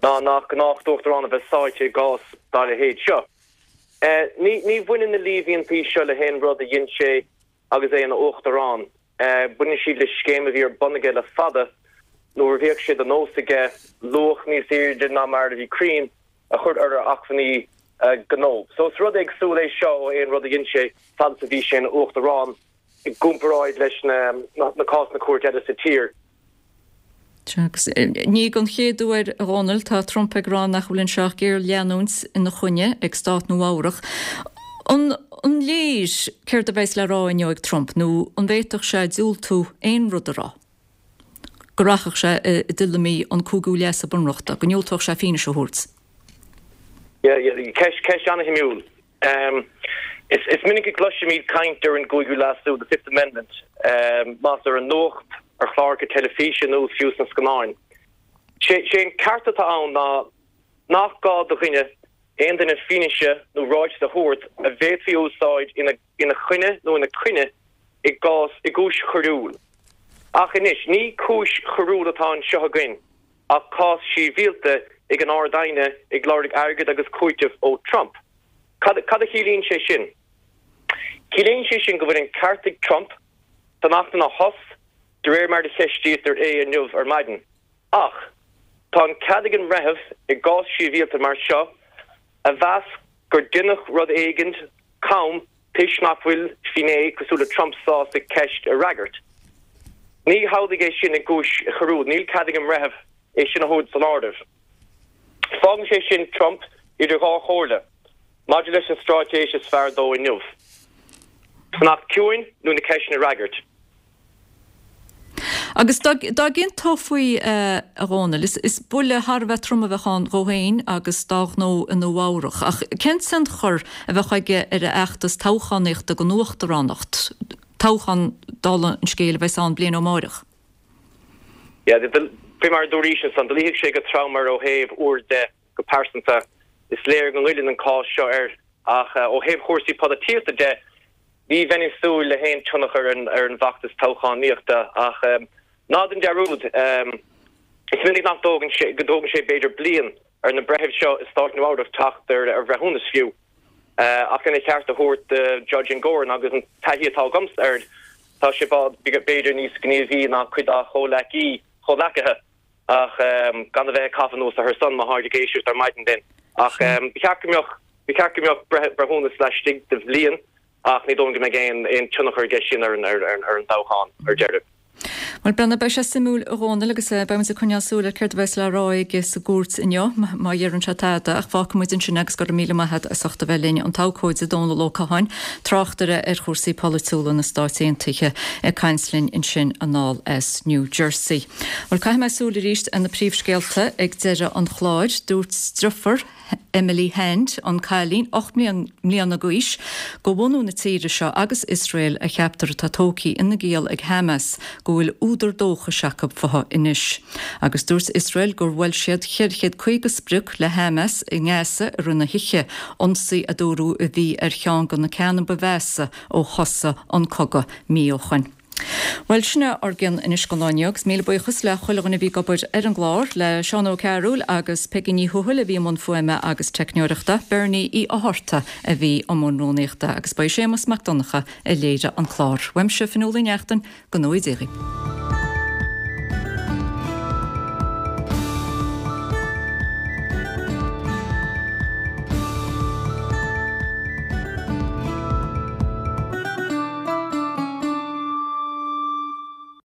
ná nach gnách d'uachtarán a bheith sáite i gcás dá leithéid seo. Ní, ní bhaineann na líomhaintí seo le haon rud a dhein sé agus é ina uachtarán. Baineann siad le scéim a bhí ar bun aige le fada nuair a bhíodh sé de nós aige luach níos airde ná mar a bhí cruinn a chur ar a acmhainní gnó. So is rud éagsúil é seo ó aon rud a dhein sé fad is a bhí sé ina uachtarán i gcomparáid leis na cásanna cúirte eile sa tír. Agus ní don chéad uair, a Dhónaill, tá Trump ag rá nach bhfuil anseo ach géarleanúint ina choinne ag stát Nua Eabhrach. An an léir céard a bheas le rá inniu ag Trump nó an bhféadfadh sé diúltú aon rud a rá? Go rachadh sé i dtuilleamaí an cúigiú leasú bunreachta, go ndiúltódh sé fianaise a thabhairt? Ceist ceist an-shuimiúil. Is minic a chloisimid caint ar an gcúigiú leasú, the Fifth Amendment, más ar an nuacht, ar chláracha teilifíse nó fiú sna scannáin. Sé an ceart atá ann ná nach gá do dhuine, aon duine fianaise nó ráiteas a thabhairt a bhféadfaí a úsáid ina choinne nó ina coinne i gcás i gcúis choiriúil. Ach anois, ní cúis choiriúil atá anseo againn ach cás sibhialta ag an Ard-Aighne ag lorg airgead agus cúiteamh ó Trump. Cad cad a chiallaíonn sé sin? Ciallaíonn sé sin go bhfuil an ceart ag Trump fanacht ina thost de réir mar a cheistítear é inniu ar maidin. Ach tá an cead ag an mbreitheamh i gcás sibhialta mar seo a mheas gur deineadh rud éigin cam toisc nach bhfuil finné cosúil le Trump sásta ceist a fhreagairt. Ní hamhlaidh é sin i gcúis choiriúil, níl cead ag an mbreitheamh é sin a thabhairt san áireamh. Fágann sé sin Trump idir dhá chomhairle maidir leis an straitéis is fearr dó inniu, fanacht ciúin nó na ceisteanna a fhreagairt. Agus dá gciontófaí é, a Dhónaill, is buille thar a bheith trom a bheadh ann dhó féin agus dá ghnó i Nua Eabhrach. Ach cén tionchar a bheadh aige ar a fheachtas toghchánaíochta don uachtaránacht, toghchán, dála an scéil, a bheas ann bliain ó amárach? Yeah, faoi mar a dúraís ansan, do luífeadh sé go trom air ó thaobh úr de go pearsanta. Is léir go ngoilleann an cás seo air ach ó thaobh chúrsaí polaitíochta de, ní bheinn ag súil le haon tionchar ar an bhfeachtas toghchánaíochta ach ná déan dearúd, is minic nach dtógann sé, go dtógann sé b'fhéidir bliain ar na breithimh seo i stát Nua Eabhrac teacht ar bhreithiúnas fiú. Ach lena cheart a thabhairt do Judge Engoron agus an taithí atá agamsa air, tá sé b'fhéidir níos gníomhaí ná cuid dá chomhleacaí, chomhleacaithe ach gan a bheith ag caitheamh anuas orthu san má tháid ag éisteacht ar maidin linn. Ach ba cheart go mbeadh, ba cheart go mbeadh breithiúnas laistigh de bhliain ach ní dóigh liom go mbeidh aon tionchar aige sin ar an toghchán ar deireadh. Bhuel, breathnaigh, beidh sé suimiúil a Dhónaill agus beidh muid ag coinneáil súil ar céard a bheas le rá aige sa gcúirt inniu, má dheireann sé tada, ach fágfaidh muid ansin agus go raibh míle maith agat as ucht a bheith linn, an t-abhcóide Dónall Ó Catháin, tráchtaire ar chúrsaí polaitiúla na Stáit Aontaithe, ag caint linn ansin anall as New Jersey. Bhuel, caithfidh mé súil arís ar na príomhscéalta ag deireadh an chláir. Dúirt deirfiúr Emily Hand, an cailín ocht mbliana d'aois, de bhunú na tíre seo agus Iosrael a cheaptar atá tógtha ina giall ag Hamas, go bhfuil údar dóchais acu futhu anois. Agus dúirt Iosrael gur bhuail siad ceithre chéad caoga sprioc le Hamas i nGaza i rith na hoíche, ionsaí a dúradh a bhí ar cheann de na ceanna ba mheasa ó thosaigh an cogadh mí ó shoin. Bhuel, sin é ár gcionn anois don lá inniu agus míle buíochas le chuile dhuine a bhí ag obair ar an gclár, le Seán Ó Cearúil agus Peigí Ní Thuathail a bhí i mbun fuaime agus teicneoireachta, Bernie Uí Fhátharta a bhí i mbun rúnaíochta agus ba é Séamus Mac Donncha a léirigh an clár. Uaimse, Fionnuala Ní Neachtain, go ngnóthaí Dia dhaoibh.